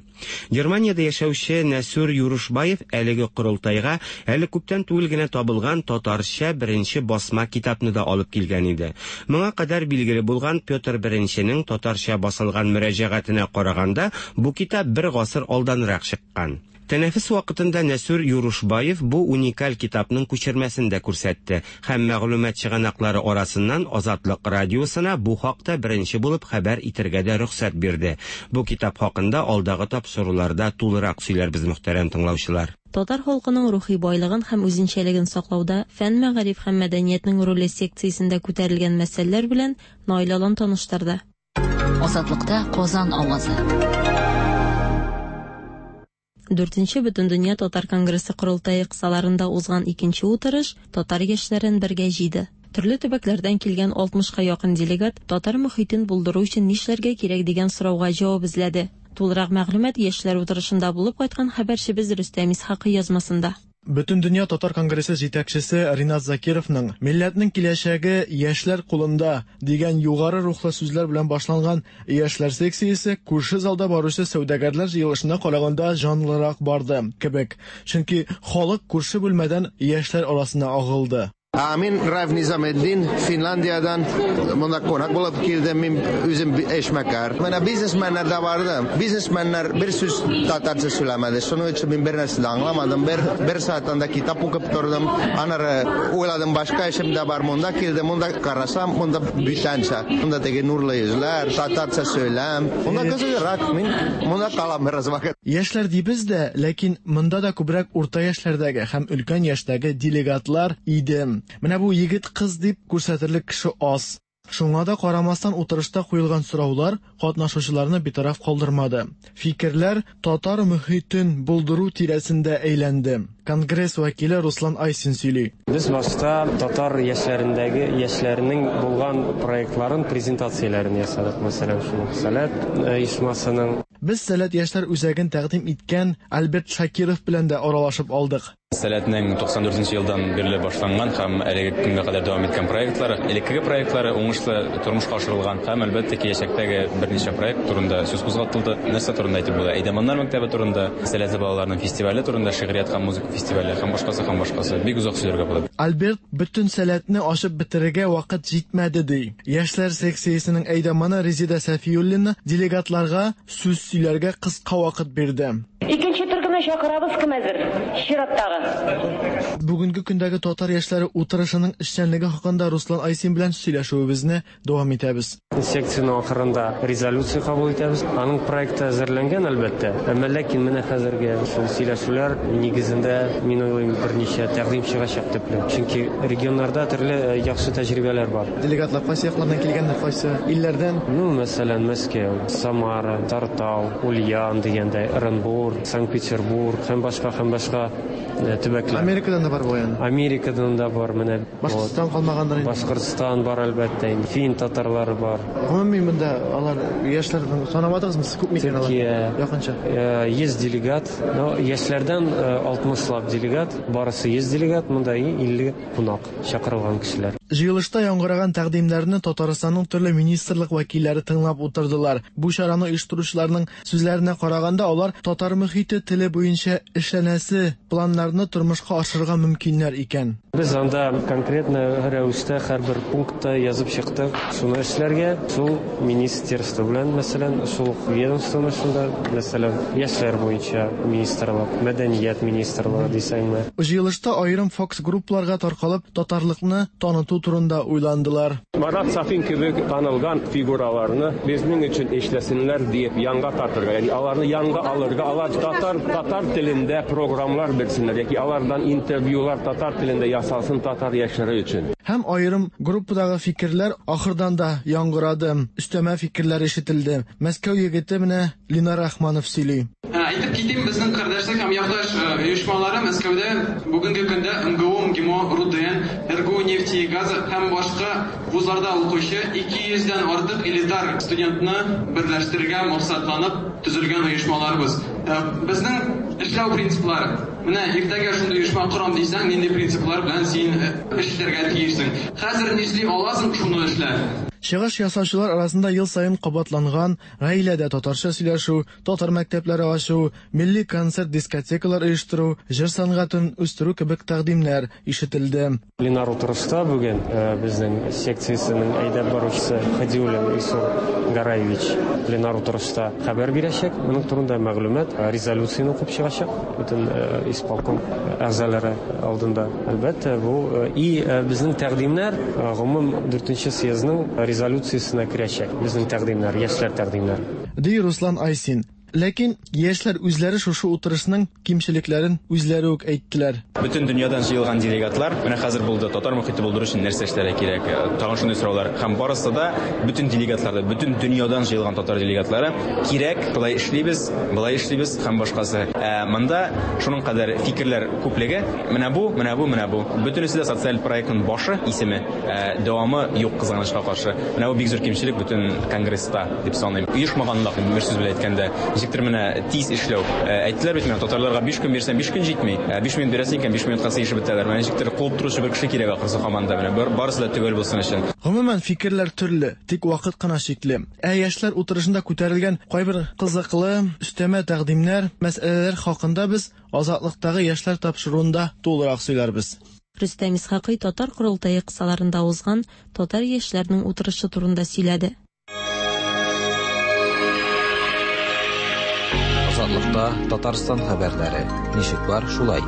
Германиядә яшәүче Нәсүр Юрушбаев әлеге корылтайга әле күптән түгел генә табылган татарча беренче басма китапны да алып килгән иде. Моңа кадәр билгеле булган Петр Беренченең татарча басылган мөрәҗәгатенә караганда, бу китап бер гасыр алданрак чыккан. Тәнәфес вакытында Нәсүр Юрушбаев бу уникаль китапның күчермәсен дә күрсәтте һәм мәгълүмат чыганаклары арасыннан Азатлык радиосына бу хакта беренче булып хәбәр итәргә дә рөхсәт бирде. Бу китап хакында алдагы тапшыруларда тулырак сөйләрбез, мөхтәрәм тыңлаучылар. Татар халкының рухи байлыгын һәм үзенчәлеген саклауда фән, мәгариф һәм мәдәниятнең роле секциясендә күтәрелгән мәсьәләләр белән Наил Алан таныштырды. Азатлыкта Казан авазы. Дүртенче Бөтендөнья Татар конгрессы корылтае кысаларында узган икенче утырыш татар яшьләрен бергә җыйды. Төрле төбәкләрдән килгән алтмышка якын делегат татар мохитен булдыру өчен нишләргә кирәк дигән сорауга җавап эзләде. Тулырак мәгълүмат яшьләр утырышында булып кайткан хәбәрчебез Рөстәм Исхакый язмасында. Бөтендөнья Татар конгрессы җитәкчесе Ринат Закировның «Милләтнең киләчәге яшьләр кулында» дигән югары рухлы сүзләр белән башланган яшьләр секциясе күрше залда баручы сәүдәгәрләр җыелышына караганда җанлырак барды кебек. Чөнки халык күрше бүлмәдән яшьләр арасына агылды. Мин Райф Низаметдин, Финляндиядан монда кунак булып килдем, мин үзем эшмәкәр. Менә бизнесменнар да барды. Бизнесменнар бер сүз татарча сөйләмәде. Шуның өчен мин бер нәрсә дә аңламадым. Бер бер сәгать анда китап укып тордым. Аннары уйладым, башка эшем дә бар. Монда килдем, монда карасам, монда бүтәнчә. Монда теге нурлы йөзләр, татарча сөйләм. Монда кызыграк, мин монда калам бераз вакыт. Яшьләр дибез дә, ләкин монда да күбрәк урта яшьләрдәге һәм өлкән яшьтәге делегатлар иде. Менә бу егет кыз дип күрсәтерлек кеше аз. Шуңа да карамастан утырышта куелган сораулар катнашучыларны битараф калдырмады. Фикерләр татар мөхитен булдыру тирәсендә әйләнде. Конгресс вәкиле Руслан Айсин сөйли. Без башта татар яшьләрендәге яшьләрнең булган проектларын, презентацияләрен ясадык. Мәсәлән, шуның Сәләт оешмасының. Без Сәләт яшьләр үзәген тәкъдим иткән Альберт Шакиров белән дә аралашып алдык. Сәләтнең туксан дүртенче елдан бирле башланган һәм әлеге көнгә кадәр дәвам иткән проектлары, элеккеге проектлары уңышлы тормышка ашырылган һәм әлбәттә киләчәктәге берничә проект турында сүз кузгатылды. Нәрсә турында әйтеп була? Әйдәманнар мәктәбе турында, сәләтле балаларның фестивале турында, шигърият һәм музыка фестивале һәм башкасы һәм башкасы. Бик озак сөйләргә була. Альберт бөтен сәләтне ашып бетерергә вакыт җитмәде ди. Яшьләр секциясенең әйдәманы Резида Сафиуллина делегатларга сүз сөйләргә кыска вакыт бирде. Икенче төркемне чакырабыз, кем әзер? Чираттагы. Бүгенге көндәге татар яшьләре утырышының эшчәнлеге хакында Руслан Айсин белән сөйләшүебезне дәвам итәбез. Секцияның ахырында резолюция кабул итәбез. Аның проекты әзерләнгән әлбәттә. Әмма ләкин менә хәзерге шул сөйләшүләр нигезендә мин уйлыйм берничә тәкъдим чыгачак төпле. Чөнки регионнарда төрле яхшы тәҗрибәләр бар. Делегатлар кайсы яклардан килгәннәр, кайсы илләрдән? Ну, мәсәлән, Мәскәү, Самара, Тартау, Ульян дигәндәй, Оренбург, Санкт-Петербург һәм башка һәм башка төбәкләр. Америкадан да бар бу яны. Америкадан да бар, менә. Башкортстан калмагандыр инде. Башкортстан бар әлбәттә инде. Фин татарлары бар. Гомумән монда алар яшьләрдән санамадыгызмы? Сез күпме икән алар? Якынча. йөз делегат. Но яшьләрдән алтмышлап делегат, барысы йөз делегат, монда илле кунак чакырылган кешеләр. Җыелышта яңгыраган тәкъдимнәрне Татарстанның төрле министрлык вәкилләре тыңлап утырдылар. Бу чараны оештыручыларның сүзләренә караганда, алар татар мөхите теле буенча эшләнәсе планнарны тормышка ашырырга мөмкиннәр икән. Без анда конкретно рәвештә һәрбер пунктта язып чыктык. Шуны эшләргә, шул министерство белән, мәсәлән, шул ведомствоны шунда, мәсәлән, яшьләр буенча министрлык, мәдәният министрлыгы дисәңме. Җыелышта аерым фокус-группаларга таркалып, татарлыкны таныту турында уйландылар. Марат Сафин кебек танылган фигураларны безнең өчен эшләсеннәр диеп янга тартырга, ягъни аларны янга алырга, алар татар татар телендә программалар бирсеннәр яки алардан интервьюлар татар телендә ясалсын татар яшьләре өчен. Һәм аерым группадагы фикерләр ахырдан да яңгырады, өстәмә фикерләр ишетелде. Мәскәү егете менә Ленар Рахманов сөйли. Әйтеп китим, безнең кардәшлек һәм якташ оешмалары Мәскәүдә бүгенге көндә МГУ, МГИМО, РУДН, РГУ нефти и газа һәм башка вузларда укучы ике йөздән артык элитар студентны берләштерергә максатланып төзелгән оешмаларыбыз. Безнең эшләү принциплары. Менә иртәгә шундый оешма корам дисәң, нинди принциплар белән син эшләргә тиешсең? Хәзер нишли аласың, шуны эшлә. Чыгыш ясаучылар арасында ел саен кабатланган гаиләдә татарча сөйләшү, татар мәктәпләре ачу, милли концерт дискотекалар оештыру, җыр сәнгатен үстерү кебек тәкъдимнәр ишетелде. Пленар утырышта бүген безнең секциясенең әйдәп баручысы Хадиуллин Илсур Гараевич пленар утырышта хәбәр бирәчәк. Моның турында мәгълүмат, резолюцияне укып чыгачак бөтен исполком әгъзалары алдында. Әлбәттә, бу и безнең тәкъдимнәр гомум дүртенче съездның резолюциясенә керәчәк. Безнең тәкъдимнәр, яшьләр тәкъдимнәре. Ди Руслан Айсин. Ләкин яшьләр үзләре шушы утырышның кимчелекләрен үзләре үк әйттеләр. Бөтен дөньядан җыелган делегатлар менә хәзер булды татар мөхите булдыру өчен нәрсә эшләргә кирәк? Тагын шундый сораулар һәм барысы да бөтен делегатларда, бөтен дөньядан җыелган татар делегатлары кирәк, болай эшлибез, болай эшлибез һәм башкасы. Ә монда шуның кадәр фикерләр күплеге, менә бу, менә бу, менә бу. Бөтенесе дә социаль проектның башы, исеме, дәвамы юк кызганычка каршы. Менә бу бик зур кимчелек бөтен конгресста дип саныйм. Оешмаганлык, бер сүз белән әйткәндә, ничектер менә тиз эшләү. Әйттеләр бит менә татарларга биш көн бирсәң биш көн җитми. биш минут бирәсең икән биш минутка сыешып бетәләр. Менә ничектер куып торучы бер кеше кирәк ахрысы команда менә барысы да төгәл булсын өчен. Гомумән фикерләр төрле, тик вакыт кына чикле. Ә яшьләр утырышында күтәрелгән кайбер кызыклы өстәмә тәкъдимнәр, мәсьәләләр хакында без Азатлыктагы яшьләр тапшыруында тулырак сөйләрбез. Рөстәм Исхакый татар корылтае кысаларында узган татар яшьләренең утырышы турында сөйләде. Азатлыкта Татарстан хәбәрләре. Ничек бар, шулай.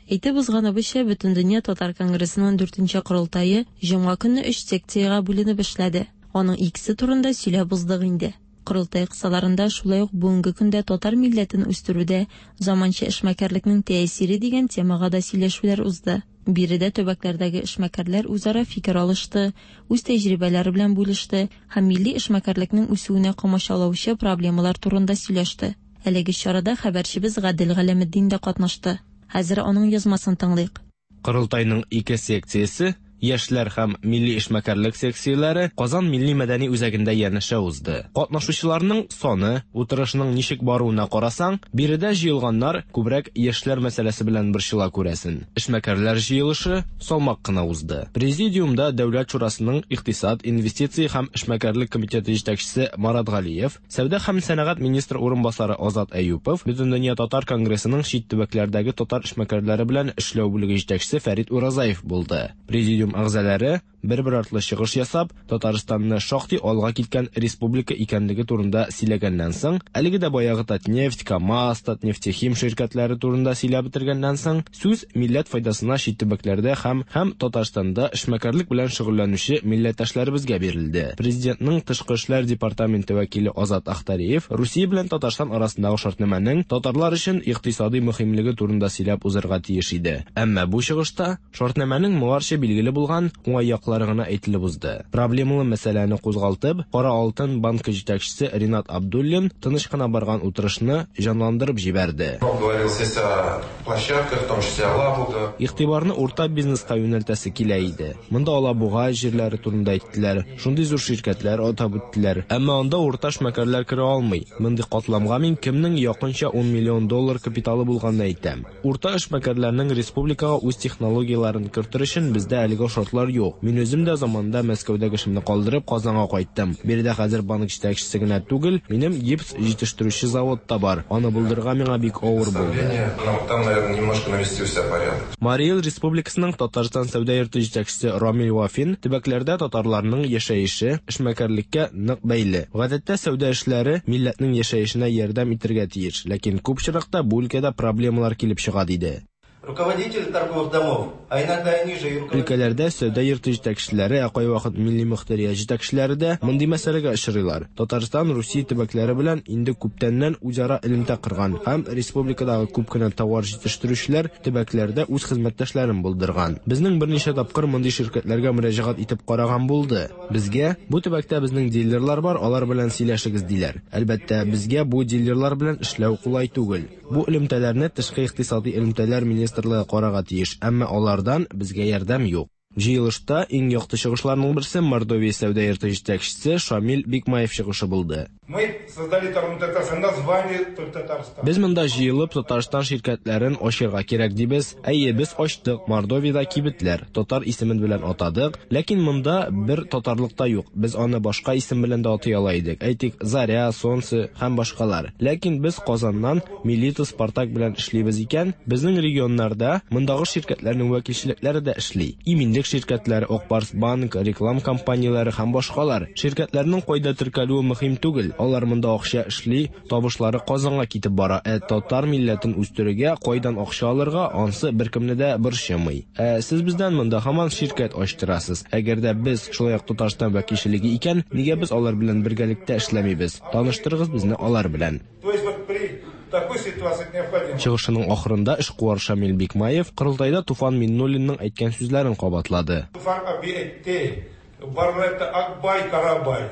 Әйтеп узганыбызча, Бөтендөнья татар конгрессының дүртенче корылтае җомга көнне өч секциягә бүленеп эшләде. Аның икесе турында сөйләп уздык инде. Корылтай кысаларында шулай ук бүгенге көндә татар милләтен үстерүдә заманча эшмәкәрлекнең тәэсире дигән темага да сөйләшүләр узды. Биредә төбәкләрдәге эшмәкәрләр үзара фикер алышты, үз тәҗрибәләре белән бүлеште һәм милли эшмәкәрлекнең үсүенә комачаулаучы проблемалар турында сөйләште. Әлеге чарада хәбәрчебез Гадел Галәметдин дә катнашты. Хәзер аның язмасын тыңлыйк. Корылтайның ике секциясе, яшьләр һәм милли эшмәкәрлек секцияләре Казан милли мәдәни үзәгендә янәшә узды. Катнашучыларның саны, утырышның ничек баруына карасаң, биредә җыелганнар күбрәк яшьләр мәсьәләсе белән борчыла күрәсен. Эшмәкәрләр җыелышы салмак кына узды. Президиумда Дәүләт шурасының икътисад, инвестиция һәм эшмәкәрлек комитеты җитәкчесе Марат Галиев, сәүдә һәм сәнәгать министры урынбасары Азат Әюпов, Бөтендөнья татар конгрессының чит төбәкләрдәге татар эшмәкәрләре белән эшләү бүлеге җитәкчесе Фәрит Уразаев булды. Президиум әгъзалары бер-бер артлы чыгыш ясап, Татарстанны шактый алга киткән республика икәнлеге турында сөйләгәннән соң, әлеге дә баягы Татнефть, КАМАЗ, Татнефтехим ширкәтләре турында сөйләп бетергәннән соң, сүз милләт файдасына чит төбәкләрдә һәм һәм Татарстанда эшмәкәрлек белән шөгыльләнүче милләттәшләребезгә бирелде. Президентның тышкы эшләр департаменты вәкиле Азат Ахтариев Русия белән Татарстан арасындагы шартнамәнең татарлар өчен икътисади мөһимлеге турында сөйләп узарга тиеш иде. Әмма бу чыгышта шартнамәнең моңарчы билгеле булган уңай яклары гына әйтелеп узды. Проблемалы мәсьәләне кузгалтып, Кара алтын банкы җитәкчесе Ринат Абдуллин тыныч кына барган утырышны җанландырып җибәрде. Игътибарны урта бизнеска юнәлтәсе килә иде. Монда Алабуга җирләре турында әйттеләр, шундый зур ширкәтләр атап үттеләр. Әмма анда урта эшмәкәрләр керә алмый. Мондый катламга мин кемнең якынча ун миллион доллар капиталы булганын әйтәм. Урта эшмәкәрләрнең республикага үз технологияләрен кертер өчен бездә әлегә шартлар юк. Мин үзем дә заманында Мәскәүдәге эшемне калдырып Казанга кайттым. Биредә хәзер банк җитәкчесе генә түгел, минем гипс җитештерүче завод та бар. Аны булдырырга миңа бик авыр булды. Марий Эл Республикасының Татарстан сәүдә йорты җитәкчесе Рамил Вафин төбәкләрдә татарларның яшәеше эшмәкәрлеккә нык бәйле. Гадәттә сәүдә эшләре милләтнең яшәешенә ярдәм итәргә тиеш, ләкин күп очракта бу өлкәдә проблемалар килеп чыга, диде. Руководители торговых домов, а иногда и ниже руководители. Өлкәләрдә сәүдә йорты җитәкчеләре, ә кайвакыт милли мөхтәрият җитәкчеләре дә мондый мәсьәләгә очрыйлар. Татарстан Русия төбәкләре белән инде күптәннән үзара элемтә корган һәм республикадагы күп кенә товар җитештерүчеләр төбәкләрдә үз хезмәттәшләрен булдырган. Безнең берничә тапкыр мондый ширкәтләргә мөрәҗәгать итеп караган булды. Безгә бу төбәктә безнең дилерлар бар, алар белән сөйләшегез диләр. Әлбәттә, безгә бу дилерлар белән эшләү кулай түгел. Бу элемтәләрне тышкы икътисади элемтәләр министрлыгы карарга тиеш, әмма алардан безгә ярдәм юк. Җыелышта иң якты чыгышларның берсе Мордовия сәүдә йорты җитәкчесе Шамил Бикмаев чыгышы булды. Мы создали Татарстан, название Татарстан. Без монда җыелып Татарстан ширкәтләрен ачырга кирәк дибез. Әйе, без ачтык Мордовиядә кибетләр, татар исемен белән атадык, ләкин монда бер татарлык та юк. Без аны башка исем белән дә атый ала идек. Әйтик, Заря, Солнце һәм башкалар. Ләкин без Казаннан Милита, Спартак белән эшлибез икән, безнең регионнарда мондагы ширкәтләрнең вәкилчелекләре дә эшли. Иминлек ширкәтләре, Акбарс банк, реклам компанияләре һәм башкалар. Ширкәтләрнең кайда теркәлүе мөһим түгел. Алар монда акча эшли, табышлары Казанга китеп бара. Ә татар милләтен үстерергә кайдан акча алырга, ансы беркемне дә борчымый. Ә сез бездән монда һаман ширкәт ачтырасыз. Әгәр дә без шулай ук Татарстан вәкилчелеге икән, нигә без алар белән бергәлектә эшләмибез? Таныштырыгыз безне алар белән. То есть вот при такой ситуации необходимо. Чыгышының ахырында эшкуар Шамил Бикмаев корылтайда Туфан Миннуллинның әйткән сүзләрен кабатлады. Туфан аби әйтте, барлы это Акбай Карабай.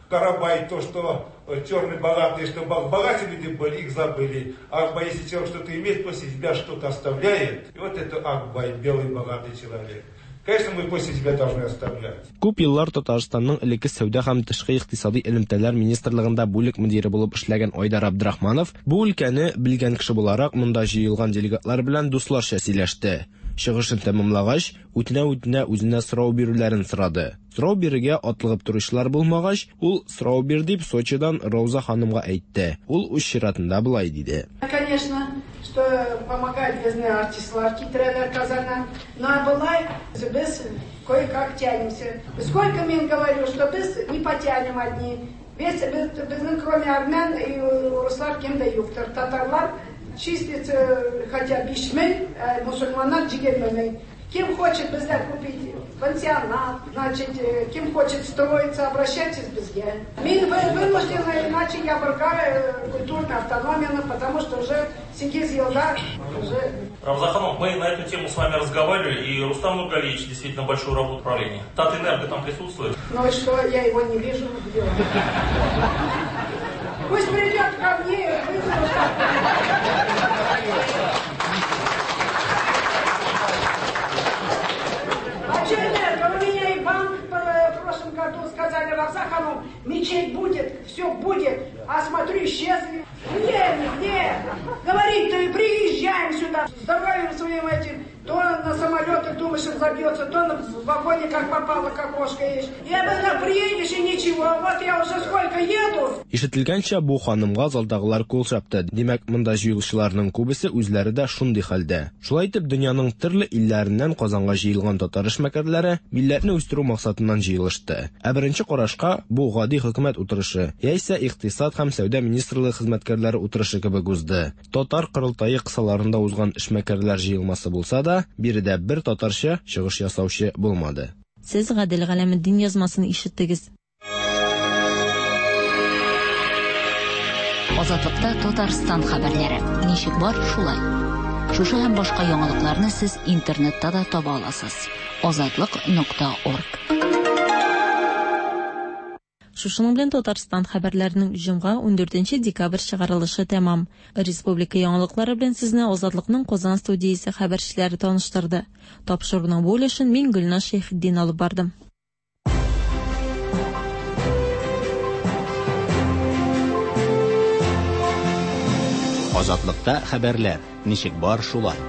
Карабай то, что черный богатый, что богатые люди были, их забыли. Акбай, если человек что-то имеет, после себя что-то оставляет. И вот это Акбай, белый богатый человек. Конечно, мы после себя должны оставлять. Күп еллар Татарстанның элекке сәүдә һәм тышкы икътисади элемтәләр министрлыгында бүлек мөдире булып эшләгән Айдар Абдрахманов бу өлкәне белгән кеше буларак монда җыелган делегатлар белән дусларча сөйләште. Чыгышын тәмамлагач, үтенә-үтенә үзенә сорау бирүләрен сорады. Сорау бирергә атлыгып торучылар булмагач, ул сорау бир дип Сочидан Рауза ханымга әйтте. Ул үз чиратында болай диде. Конечно, что помогает безне артистлар китерәләр Казаннан. Но болай без кое-как тянемся. Сколько мин говорю, что без не потянем одни. Без, без, безнең кроме армян и руслар кем дә юктыр. Татарлар числится хотя биш мең, мусульманнар егерме мең. Кем хочет бездә купить пансионат, значит, кем хочет строиться, обращайтесь безгә. Мин вынуждена, иначе я брыкаю культурную автономию, потому что уже сигез елда уже... Равза ханум, мы на эту тему с вами разговаривали, и Рустам Нургалиевич действительно большую работу управления. Татэнерго там присутствует. Ну и что, я его не вижу, где он? Пусть придет ко мне, вызову. А что энерго? У меня и банк в прошлом году сказали, Равза ханум, мечеть будет, все будет, а смотрю, исчезли. Где они, где? Говорит-то и приезжаем сюда, здоровьем своим этим, то на самолетах думаешь, он забьется, то в вагоне как попало, как кошка есть. Я бы приедешь и ничего, вот я уже сколько еду. Ишетелгәнчә, бу ханымга залдагылар кул чапты. Димәк, монда җыелучыларның күбесе үзләре дә шундый хәлдә. Шулай итеп, дөньяның төрле илләреннән Казанга җыелган татар эшмәкәрләре милләтне үстерү максатыннан җыелышты. Ә беренче карашка бу гади хөкүмәт утырышы, яисә икътисад һәм сәүдә министрлыгы хезмәткәрләре утырышы кебек узды. Татар корылтае кысаларында узган эшмәкәрләр җыелмасы булса да, биредә бер татарча чыгыш ясаучы булмады. Сез Гадел Галәметдин язмасын ишеттегез. Азатлыкта Татарстан хәбәрләре. Ничек бар, шулай. Шушы һәм башка яңалыкларны сез интернетта да таба аласыз. азатлык нокта орг. Шушының белән Татарстан хәбәрләренең җомга ундүртенче декабрь чыгарылышы тәмам. Республика яңалыклары белән сезне Азатлыкның Казан студиясе хәбәрчеләре таныштырды. Тапшыруның бу өлешен мин Гөлназ Шәйхетдин алып бардым. Азатлыкта хәбәрләр ничек бар, шулай.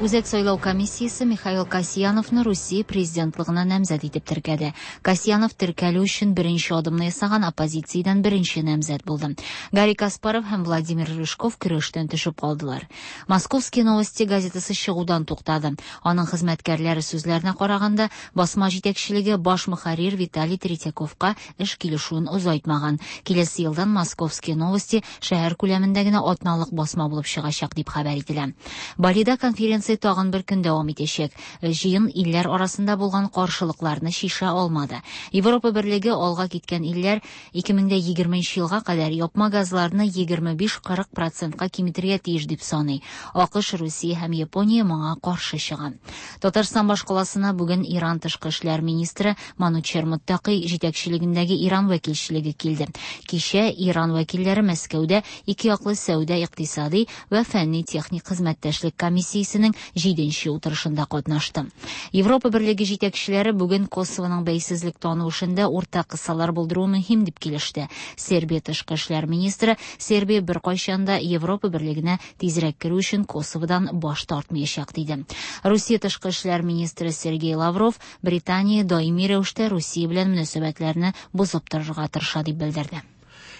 Үзәк сайлау комиссиясе Михаил Касьяновны Русия президентлыгына намзәт итеп теркәде. Касьянов теркәлү өчен беренче адымны ясаган оппозициядән беренче намзәт булды. Гарри Каспаров һәм Владимир Рыжков көрәштән төшеп калдылар. Московские новости газетасы чыгудан туктады. Аның хезмәткәрләре сүзләренә караганда, басма җитәкчелеге баш мөхәррир Виталий Третьяковка эш килешүен озайтмаган. Киләсе елдан Московские новости шәһәр күләмендә генә атналык басма булып чыгачак дип хәбәр ителә. Балида конференция тагын бер көн дәвам итәчәк. Җыен илләр арасында булган каршылыкларны шиша алмады. Европа берлеге алга киткән илләр ике мең дә егерменче елга кадәр япма газларны егерме биш кырык процентка киметергә тиеш дип саный. АКШ, Русия һәм Япония моңа каршы чыга. Татарстан башкаласына бүген Иран тышкы эшләр министры Манучер Муттаки җитәкчелегендәге Иран вәкилчелеге килде. Кичә Иран вәкилләре Мәскәүдә ике яклы сәүдә, икътисади вә фәнни-техник хезмәттәшлек комиссиясенең җиденче утырышында катнашты. Европа берлеге җитәкчеләре бүген Косовоның бәйсезлек тану эшендә уртак кысалар булдыру мөһим дип килеште. Сербия тышкы эшләр министры Сербия беркайчан да Европа берлегенә тизрәк керү өчен Косоводан баш тартмаячак диде. Русия тышкы эшләр министры Сергей Лавров Британия даими рәвештә Русия белән мөнәсәбәтләрне бозып торырга тырыша дип белдерде.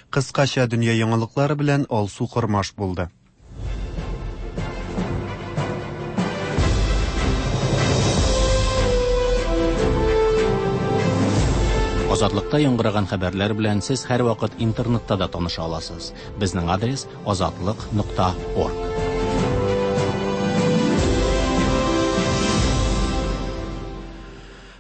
Кыскача дөнья яңалыклары белән Алсу Кормаш булды. Азатлыкта яңгыраган хәбәрләр белән сез һәрвакыт интернетта да таныша аласыз. Безнең адрес азатлык нокта орг.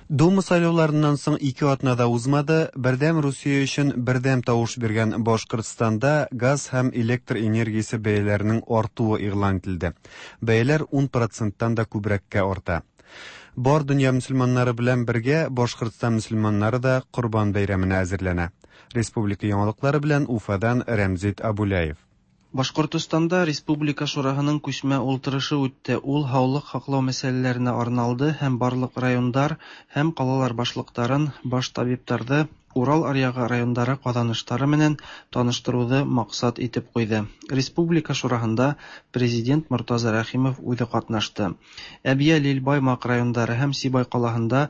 Дума сайлауларыннан соң ике атна да узмады, Бердәм Русия өчен бердәм тавыш биргән Башкортстанда газ һәм электр энергиясе бәяләренең артуы игълан ителде. Бәяләр ун проценттан да күбрәккә арта. Бар дөнья мөселманнары белән бергә Башкортстан мөселманнары да Корбан бәйрәменә әзерләнә. Республика яңалыклары белән Уфадан Рәмзит Абуляев. Башкортостанда Республика Шураһының күчмә ултырышы үтте. Ул һаулык һаклау мәсьәләләренә арналды һәм барлык райондар һәм калалар башлыктарын, баш табиптарҙы Урал аръягы райондары ҡаҙаныштары менән таныштырыуҙы маҡсат итеп ҡуйҙы. Республика Шураһында президент Мортаза Рәхимов үҙе ҡатнашты. Әбйәлил, Баймаҡ райондары һәм Сибай ҡалаһында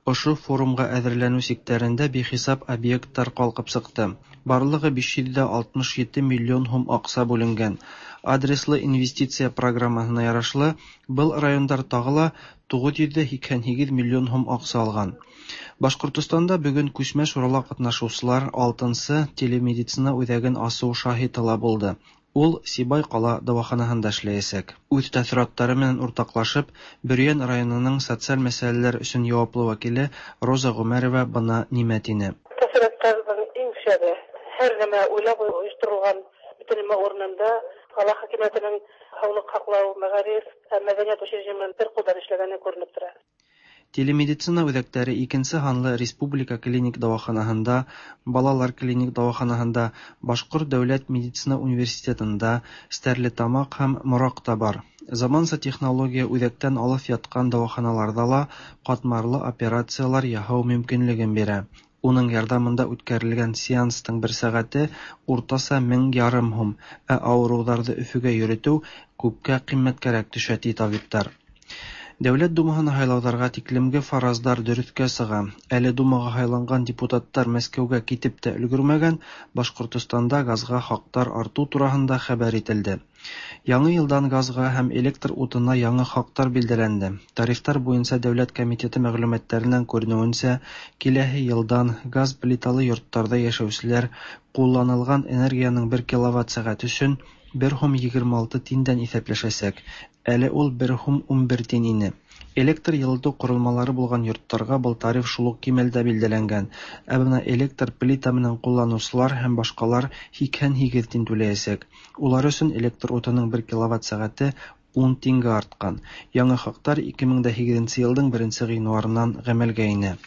ошо форумға әҙерләнеү сиктәрендә бихисап объекттар ҡалҡып сыҡты. Барлығы биш йөҙ ҙә алтмыш ете миллион һум аҡса бүленгән. Адреслы инвестиция программаһына ярашлы, был райондар тағы ла туғыҙ йөҙ ҙә һикһән һигеҙ миллион һум аҡса алған. Башҡортостанда бөгөн күсмә шурала ҡатнашыусылар алтынсы телемедицина үҙәген асыу шаһиты ла булды. Ул Сибай кала дәваханаһында эшләячәк. Үз тәэссоратлары белән уртаклашып, Бөрйән районының социаль мәсьәләләр өчен җаваплы вәкиле Роза Гомәрова бына нимә тине. Тәэссоратларның иң шәбе, һәр нәмә уйлап оештырылган, бөтен нәмә урынында, кала хакимиятенең һаулык һаклау, мәгариф һәм мәдәният учреждениеләренең бер кулдан эшләгәне күренеп тора. Телемедицина үзәкләре икенче һанлы республика клиник дәваханаһында, балалар клиник дәваханаһында, Башкорт дәүләт медицина университетында, Стәрлетамак һәм Моракта бар. Заманча технология үзәктән алыҫ яткан дәваханаларҙа ла ҡатмарлы операциялар яһау мөмкинлеген бирә. Уның ярҙамында үткәрелгән сеанстың бер сәғәте уртаса мең ярым һум, ә ауырыуҙарҙы Өфөгә йөрөтөү күпкә ҡиммәткәрәк төшә, ти табиптар. Дәүләт Думаһына һайлауҙарға тиклемге фараздар дөрөҫкә сыға. Әле Думаға һайланған депутаттар Мәскәүгә китеп тә өлгөрмәгән, Башҡортостанда газға хаҡтар артыу тураһында хәбәр ителде. Яңы йылдан газға һәм электр утына яңы хаҡтар билдәләнде. Тарифтар буйынса Дәүләт комитеты мәғлүмәттәренән күренеүенсә, киләһе йылдан газ плиталы йорттарҙа йәшәүселәр ҡулланылған энергияның бер киловатт сәғәт өсөн бер һум егерме алты тиндән иҫәпләшәсәк. Әле ул бер һум ун бер тин ине. Электр йылытыу ҡоролмалары булған йорттарға был тариф шул уҡ кимәлдә билдәләнгән. Ә бына электр плита менән ҡулланыусылар һәм башҡалар һикһән һигеҙ тин түләйәсәк. Улар өсөн электр утының бер киловатт сәғәте ун тингә артҡан. Яңы хаҡтар ике мең дә һигеҙенсе йылдың беренсе ғинуарынан ғәмәлгә инә.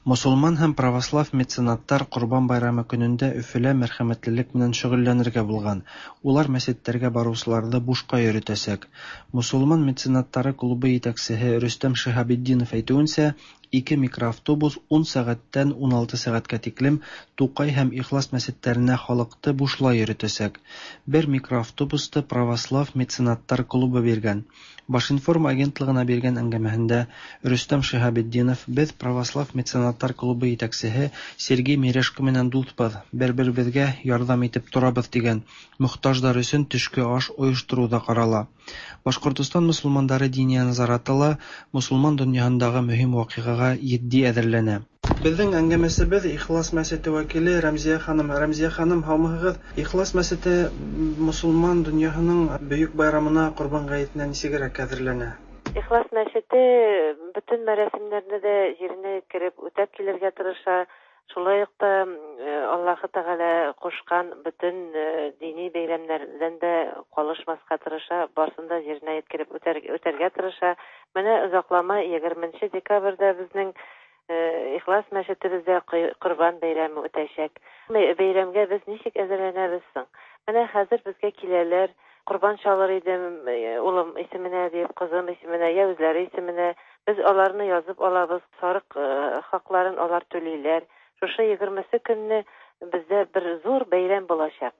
Мосолман һәм православ меценаттар Ҡорбан байрамы көнөндә Өфөлә мәрхәмәтлелек менән шөғөлләнергә булған. Улар мәсеттәргә барыусыларҙы бушҡа йөрөтәсәк. Мосолман меценаттары клубы етәксеһе Рөстәм Шиһабетдинов әйтеүенсә, ике микроавтобус ун сәғәттән ун алты сәғәткә тиклем Туҡай һәм Ихлас мәсеттәренә халыҡты бушлай йөрөтәсәк. Бер микроавтобусты православ меценаттар клубы биргән. Башинформ агентлығына биргән әңгәмәһендә Рөстәм Шиһабетдинов: "Беҙ православ меценаттар клубы етәксеһе Сергей Мережко менән дуҫбыҙ, бер-беребеҙгә ярҙам итеп торабыҙ", тигән. Мохтаждар өсөн төшкө аш ойоштороу ҙа ҡарала. Башҡортостан мосолмандары диния назараты ла мосолман донъяһындағы мөһим ваҡиғаға етди әҙерләнә. Беҙҙең әңгәмәсебеҙ Ихлас мәсете вәкиле Рәмзиә ханым. Рәмзиә ханым, һаумыһығыҙ? Ихлас мәсете мосолман донъяһының бөйөк байрамына, Ҡорбан ғәйетенә нисегерәк әҙерләнә? Ихлас мәсете бөтөн мәрәсимдәрҙе ҙә еренә еткереп үтәп килергә тырыша. Шулай уҡ та Аллаһы Тәғәлә ҡушҡан бөтөн дини бәйрәмдәрҙән дә ҡалышмаҫҡа тырыша, барысын да еренә еткереп үтәргә тырыша. Менә оҙаҡламай егерменсе декабрҙә беҙҙең Ихлас мәсетебеҙҙә Ҡорбан бәйрәме үтәсәк. Бәйрәмгә беҙ нисек әҙерләнәбеҙ һуң? Менә хәҙер беҙгә киләләр, ҡорбан чалыр идем улым исеменә дип, ҡыҙым исеменә, йә үҙләре исеменә. Беҙ аларны яҙып алабыҙ, сарыҡ хаҡларын алар түләйләр. Шушы егермесе көнне беҙҙә бер ҙур бәйрәм буласаҡ.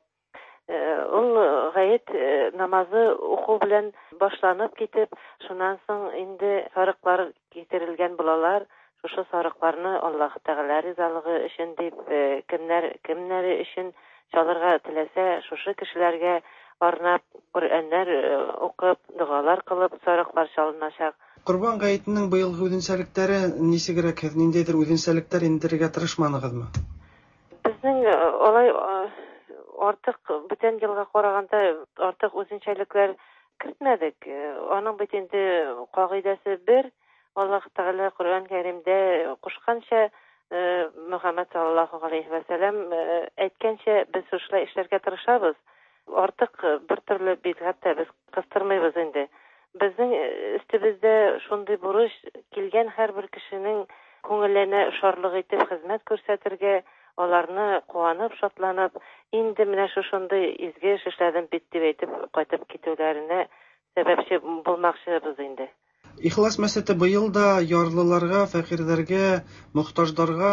Ул ғәйет намазы уҡыу белән башланып китеп, шунан һуң инде сарыҡлар китерелгән булалар. Шушы сарыҡларны Аллаһ Тәғәлә ризалығы өсөн дип, кемдәр кемдәре өсөн чалырға теләсә, шушы кешеләргә арнап Ҡөрьәннәр уҡып, доғалар ҡылып сарыҡлар чалынасаҡ. Ҡорбан ғәйетенең быйылғы үҙенсәлектәре нисегерәк? Һеҙ ниндәйҙер үҙенсәлектәр индерергә тырышманығыҙмы? Беҙҙең алай артыҡ бүтән йылға ҡарағанда артыҡ үҙенсәлектәр кертмәҙек. Аның бит инде ҡағиҙәсе бер. Аллаһ Тәғәлә Ҡөрьән Кәримдә ҡушҡанса, Мөхәммәд саллаллаһу ғәләйһи вә сәләм әйткәнсә, беҙ шулай эшләргә тырышабыҙ. Артыҡ бер төрлө бидғәт тә беҙ ҡыҫтырмайбыҙ инде. Беҙҙең өҫтөбөҙҙә шундай бурыс, килгән һәр бер кешенең күңеленә шарлыҡ итеп хеҙмәт күрһәтергә, аларны ҡыуанып, шатланып, инде менә шушындай изге эш эшләдем бит дип әйтеп ҡайтып китеүҙәренә сәбәпсе булмаҡсыбыҙ инде. Ихлас мәсете быйыл да ярлыларға, фәҡирҙәргә, мохтаждарға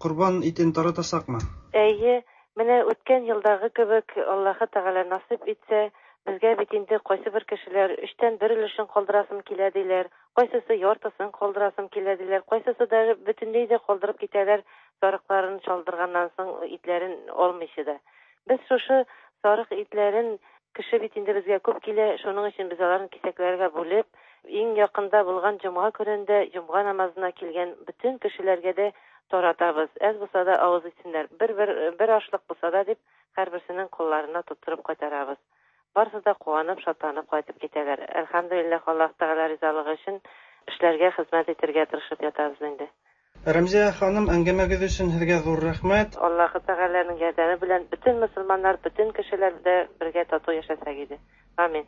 ҡорбан итен таратасаҡмы? Эйе, менә үткән йылдағы кебек Аллаһы Тәғәлә насип итсә, безгә бит инде ҡайсы бер кешеләр өстән бер өлөшөн ҡалдырасым килә диләр, ҡайсысы яртысын ҡалдырасым килә диләр, ҡайсысы да бөтөнләй ҙә ҡалдырып китәләр, сарыҡларын чалдырғаннан һуң итләрен алмыйсы да. Беҙ шушы сарыҡ итләрен, кеше бит инде безгә күп килә, шуның өсөн беҙ аларын кисәкләргә бүлеп, иң яҡында булған йомға көнөндә йомға намазына килгән бөтөн кешеләргә дә таратабыз. Әз булса да авыз итсеннәр. Бер-бер бер ашлык булса да дип, һәрберсенең кулларына тоттырып кайтарабыз. Барысы да куанып, шатланып кайтып китәләр. Әлхәмдүлилләһ, Аллаһ Тәгалә ризалыгы өчен эшләргә, хезмәт итәргә тырышып ятабыз инде. Рәмзия ханым, әңгәмәгез өчен һеҙгә ҙур рәхмәт. Аллаһ Тәгаләнең ярҙамы белән бөтен мөселманнар, бөтен кешеләр дә бергә тату яшәсәк иде. Амин.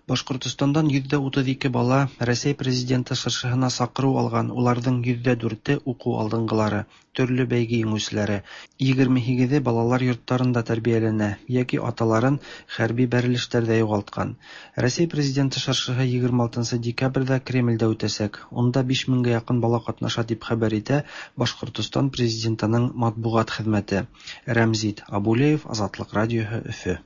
Башҡортостандан йөҙҙә утыҙ ике бала Рәсәй президенты шыршыһына саҡырыу алған, уларҙың йөҙҙә дүрте уҡыу алдынғылары, төрлө бәйге еңеүселәре, егерме һигеҙе балалар йорттарында тәрбиәләнә йәки аталарын хәрби бәрелештәрҙә юғалтҡан. Рәсәй президенты шыршыһы егерме алтынсы декабрҙә Кремлдә үтәсәк. Унда биш меңгә яҡын бала ҡатнаша тип хәбәр итә Башҡортостан президентының матбуғат хеҙмәте. Рәмзит Абулеев, Азатлыҡ радиоһы, Өфө.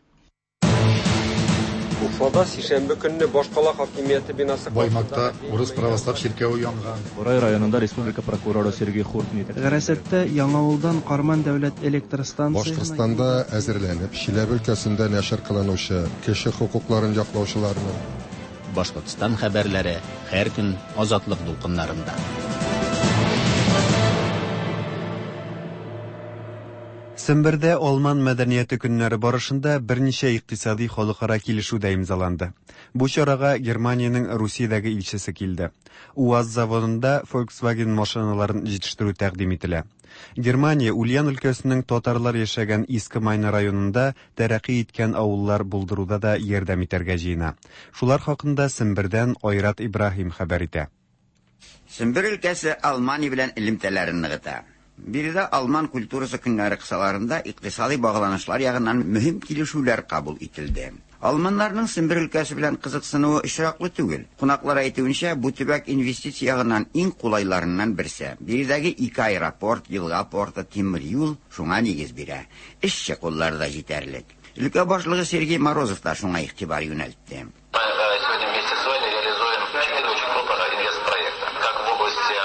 Уфада сишәмбе көнне башҡала хакимиәте бинасы Баймакта урыс православ чиркәве янган. Бурай районында республика прокуроры Сергей Хуртин Ғәрәсәттә Яңауылдан Ҡарман дәүләт электр станцияһына Башҡортостанда әҙерләнеп, Чиләбе өлкәсендә нәшер ҡылыныусы кеше хоҡуҡларын яҡлаусыларның Башҡортостан хәбәрләре һәр көн Азатлыҡ дулҡындарында. Сембердә Алман мәдәниәте көннәре барышында берничә икътисади халыкара килешү дә имзаланды. Бу чарага Германиянең Русиядәге илчесе килде. УАЗ заводында Volkswagen машиналарын җитештерү тәкъдим ителә. Германия Ульян өлкәсенең татарлар яшәгән Иске Майна районында тәрәкъи иткән авыллар булдыруда да ярдәм итәргә җыена. Шулар хакында Сембердән Айрат Ибраһим хәбәр итә. Сембер өлкәсе Алмания белән элемтәләрен ныгыта. Биредә алман культурасы көннәре кысаларында икътисади багланышлар ягыннан мөһим килешүләр кабул ителде. Алманнарның Сембер өлкәсе белән кызыксынуы очраклы түгел. Кунаклар әйтүенчә, бу төбәк инвестиция ягыннан иң кулайларыннан берсе. Биредәге ике аэропорт, елга порты, тимер юл шуңа нигез бирә. Эшче куллар да җитәрлек. Өлкә башлыгы Сергей Морозов та шуңа игътибар юнәлтте. Сегодня вместе с вами реализуем четыре очень крупных инвестпроекта, как в области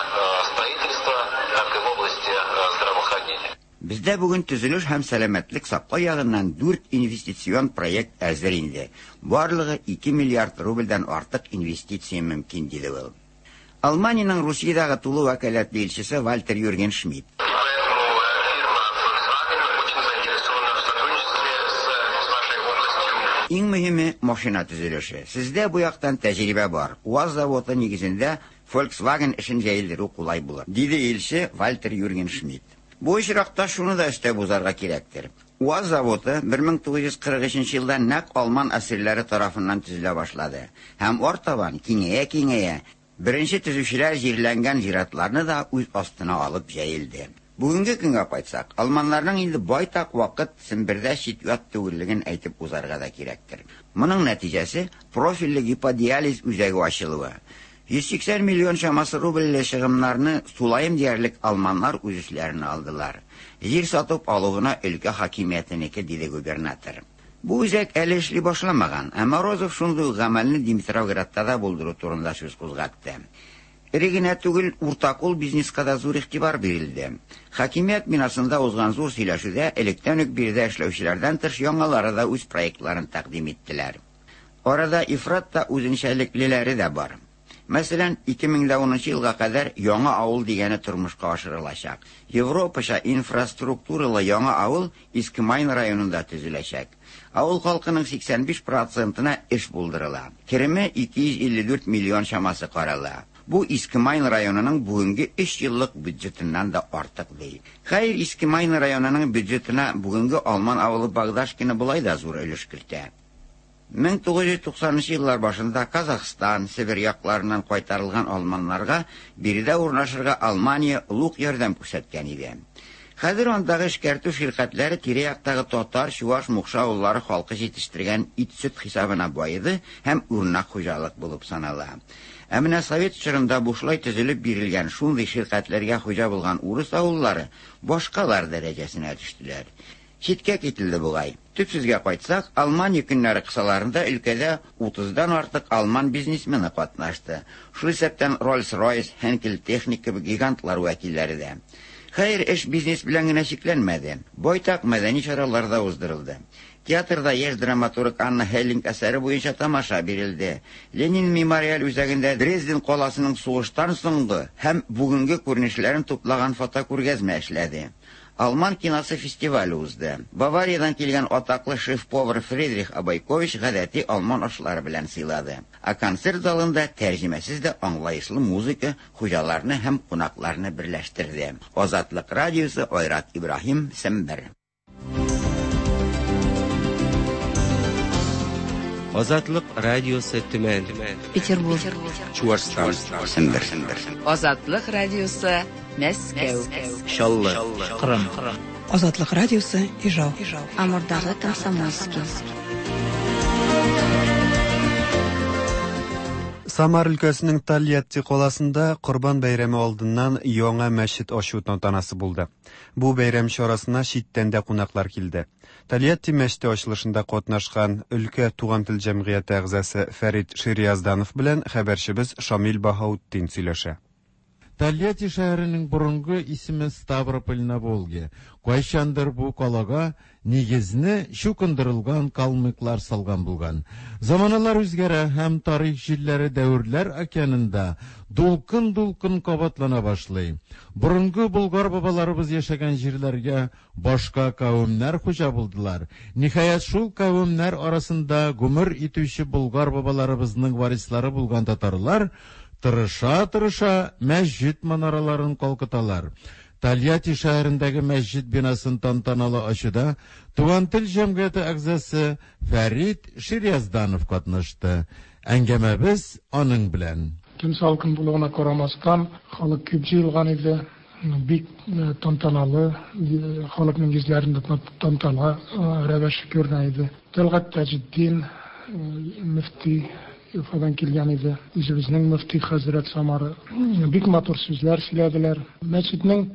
строительства, так и в области здравоохранения. Бездә бүген төзелеш һәм сәламәтлек саклау ягыннан дүрт инвестицион проект әзер инде. Барлыгы ике миллиард рубльдән артык инвестиция мөмкин, диде ул. Алманиянең Русиядәге тулы вәкаләтле илчесе Вальтер Юрген Шмидт. Иң мөһиме машина төзелеше. Сездә бу яктан тәҗрибә бар. УАЗ заводы нигезендә Volkswagen эшен җәелдерү кулай булыр, диде илче Вальтер Юрген Шмидт. Бу очракта шуны да өстәп узарга кирәктер. УАЗ заводы бер мең тугыз йөз кырык өченче елда нәкъ алман әсирләре тарафыннан төзелә башлады. Һәм артабан киңәя-киңәя беренче төзүчеләр җирләнгән зиратларны да үз астына алып җәелде. Бүгенге көнгә кайтсак, алманнарның инде байтак вакыт Сембердә чит-ят түгеллеген әйтеп узарга да кирәктер. Моның нәтиҗәсе профильле гиподиализ үзәге ачылуы. йөз сиксән миллион чамасы рубльле чыгымнарны тулаем диярлек алманнар үз өсләренә алдылар. Җир сатып алу гына өлкә хакимиятенеке, диде губернатор. Бу үзәк әле эшли башламаган, ә Морозов шундый ук гамәлне Димитровградта да булдыру турында сүз кузгатты. Эре генә түгел, уртакул бизнеска да зур игътибар бирелде. Хакимият бинасында узган зур сөйләшүдә электән үк биредә эшләүчеләрдән тыш яңалары да үз проектларын тәкъдим иттеләр. Арада ифрат та үзенчәлеклеләре дә бар. Мәсәлән, ике мең дә унынчы елга кадәр яңа авыл дигәне тормышка ашырылачак. Европача инфраструктуралы яңа авыл Иске Майн районында төзеләчәк. Авыл халкының сиксән биш процентына эш булдырыла. Кереме ике йөз илле дүрт миллион чамасы карала. Бу Иске Майн районының бүгенге өч еллык бюджетыннан да артык ди. Хәер, Иске Майн районының бюджетына бүгенге алман авылы Багдашкино болай да зур өлеш кертә. мең тугыз йөз туксанынчы еллар башында Казахстан, Себер якларыннан кайтарылган алманнарга биредә урнашырга Алмания олуг ярдәм күрсәткән иде. Хәзер андагы эшкәртү ширкәтләре тирә-яктагы татар, чуваш, мукша авыллары халкы җитештергән ит-сөт хисабына байыды һәм үрнәк хуҗалык булып санала. Ә менә совет чорында бушлай төзелеп бирелгән шундый ширкәтләргә хуҗа булган урыс авыллары башкалар дәрәҗәсенә төштеләр. Читкә кителде бугай. Төп сүзгә кайтсак, Алмания көннәре кысаларында өлкәдә утыздан артык алман бизнесмены катнашты. Шул исәптән Rolls-Royce, Henkel Technik кебек гигантлар вәкилләре дә. Хәер, эш бизнес белән генә чикләнмәде. Байтак мәдәни чаралар да уздырылды. Театрда яшь драматург Анна Хеллинг әсәре буенча тамаша бирелде. Ленин мемориаль үзәгендә Дрезден каласының сугыштан соңгы һәм бүгенге күренешләрен туплаган фотокүргәзмә эшләде. Алман киносы фестивале узды. Бавариядән килгән атаклы шеф-повар Фридрих Абайкович гадәти алман ашлары белән сыйлады. Ә концерт залында тәрҗемәсез дә аңлаешлы музыка хуҗаларны һәм кунакларны берләштерде. Азатлык радиосы, Айрат Ибраһим, Сембер. Азатлык радиосы Төмән. Петербург. Чуашстан. Сембер. Азатлык радиосы Мәскәү. Чаллы. Кырым. Азатлык радиосы Ижау. Амурдагы Комсомольский. Самар өлкәсенең Тольятти каласында Корбан бәйрәме алдыннан яңа мәчет ачу тантанасы булды. Бу бәйрәм чарасына читтән дә кунаклар килде. Тольятти мәчете ачылышында катнашкан өлкә туган тел җәмгыяте әгъзасы Фәрит Шириязданов белән хәбәрчебез Шамил Баһаутдин сөйләшә. Тольятти шәһәренең борынгы исеме Ставрополь на Волге. Кайчандыр бу калага нигезне чукындырылган калмыклар салган булган. Заманалар үзгәрә һәм тарих җилләре дәверләр океанында дулкын-дулкын кабатлана башлый. Борынгы болгар бабаларыбыз яшәгән җирләргә башка кавемнәр хуҗа булдылар. Ниһаять, шул кавемнәр арасында гомер итүче болгар бабаларыбызның варислары булган татарлар тырыша-тырыша мәсҗид манараларын калкыталар. Тольятти шәһәрендәге мәсҗид бинасын тантаналы ачуда Туган тел җәмгыяте әгъзасы Фәрит Шириязданов катнашты. Әңгәмәбез аның белән. Көн салкын булуына карамастан, халык күп җыелган иде. Бик тантаналы, халыкның йөзләрендә тантана рәвеше күренә иде. Тәлгать Таҗетдин мөфти Уфадан килгән иде. Үзебезнең мөфти хәзрәт Самары бик матур сүзләр сөйләделәр. Мәчетнең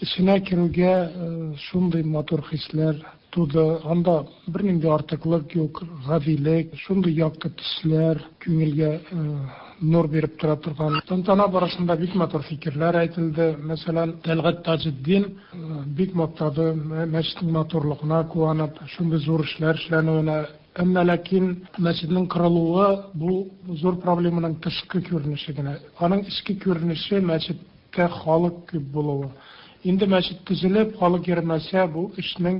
эченә керүгә шундый матур хисләр туды. Анда бернинди артыклык юк, гадилек, шундый якты төсләр күңелгә нур биреп тора торган. Тантана барышында бик матур фикерләр әйтелде. Мәсәлән, Тәлгать Таҗетдин бик мактады мәчетнең матурлыгына куанып, шундый зур эшләр эшләнүенә. Әмма ләкин мәчетнең кырылуы бу зур проблеманың тышкы күренеше генә. Аның эчке күренеше мәчеттә халык күп булуы. Инде мәчет төзелеп, халык йөрмәсә, бу эшнең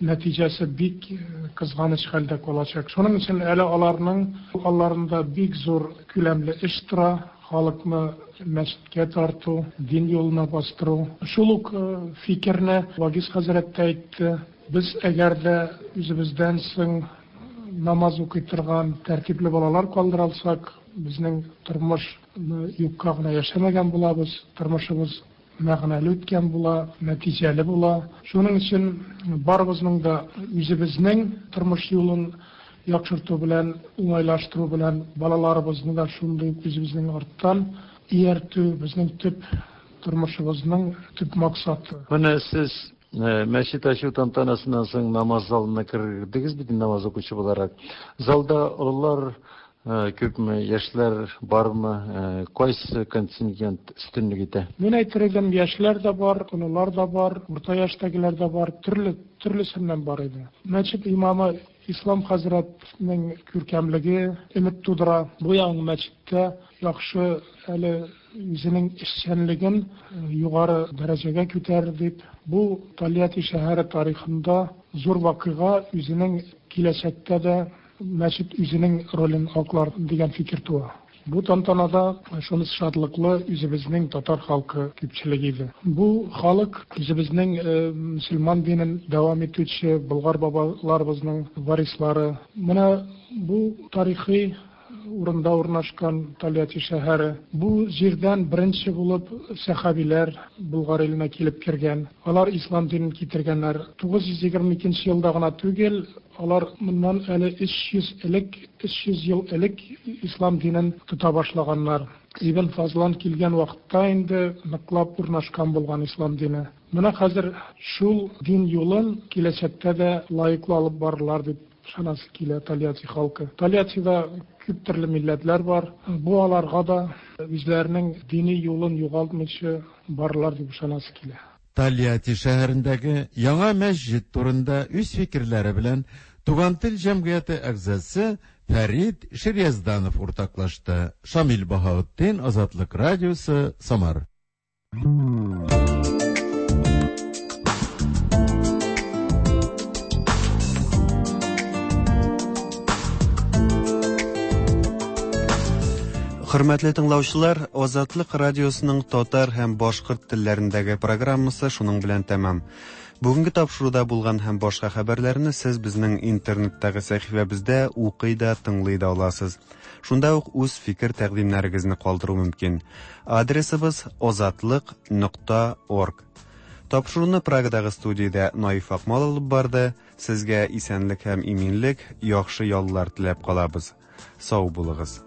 нәтиҗәсе бик кызганыч хәлдә калачак. Шуның өчен әле аларның алларында бик зур күләмле эш тора, халыкны мәчеткә тарту, дин юлына бастыру. Шул ук фикерне Вагиз хәзрәт тә әйтте. Без әгәр дә үзебездән соң намаз укый торган тәртипле балалар калдыра алсак, безнең тормыш юкка гына яшәмәгән булабыз, тормышыбыз мәгънәле үткән була, нәтиҗәле була. Шуның өчен барыбызның да үзебезнең тормыш юлын яхшырту белән, уңайлаштыру белән балаларыбызны да шундый үзебезнең арттан ияртү безнең төп тормышыбызның төп максаты. Менә сез мәчет ачу тантанасыннан соң намаз залына кердегез бит, намаз укучы буларак. Залда олылар күпме, яшьләр бармы, кайсы контингент өстенлек итә? Мин әйтер идем, яшьләр дә бар, олылар да бар, урта яшьтәгеләр дә бар, төрле төрлесеннән бар иде. Мәчет имамы Ислам хәзрәтнең күркәмлеге өмет тудыра. Бу яңа мәчеттә яхшы әле үзенең эшчәнлеген югары дәрәҗәгә күтәрер дип, бу Тольятти шәһәре тарихында зур вакыйга, үзенең киләчәктә дә мәчет үзенең ролен аклар дигән фикер туа. Бу тантанада шунысы шатлыклы, үзебезнең татар халкы күпчелеге иде. Бу халык үзебезнең мөселман динен дәвам итүче болгар бабаларыбызның варислары. Менә бу тарихи урында урнашкан Тольятти шәһәре. Бу җирдән беренче булып сәхабиләр Болгар иленә килеп кергән. Алар ислам динен китергәннәр. тугыз йөз егерме икенче елда гына түгел, алар моннан әле өч йөз элек, өч йөз ел элек ислам динен тота башлаганнар. Ибн Фазлан килгән вакытта инде ныклап урнашкан булган ислам дине. Менә хәзер шул дин юлын киләчәктә дә лаеклы алып барырлар дип ышанасы килә Тольятти халкы. Тольяттида күп төрле милләтләр бар. Бу аларга да үзләренең дини юлын югалтмыйча барырлар дип ышанасы килә. Тольятти шәһәрендәге яңа мәсҗид турында үз фикерләре белән Туган тел җәмгыяте әгъзасы Фәрид Шириязданов уртаклашты. Шамил Баһаутдин, Азатлык радиосы, Самар. Хөрмәтле тыңлаучылар, Азатлык радиосының татар һәм башкорт телләрендәге программасы шуның белән тәмам. Бүгенге тапшыруда булган һәм башка хәбәрләрне сез безнең интернеттагы сәхифәбездә укый да, тыңлый да аласыз. Шунда ук үз фикер тәкъдимнәрегезне калдыру мөмкин. Адресыбыз озатлык нокта орг. Тапшыруны Прагадагы студиядә Наиф Акмал алып барды. Сезгә исәнлек һәм иминлек, яхшы яллар теләп калабыз. Сау булыгыз.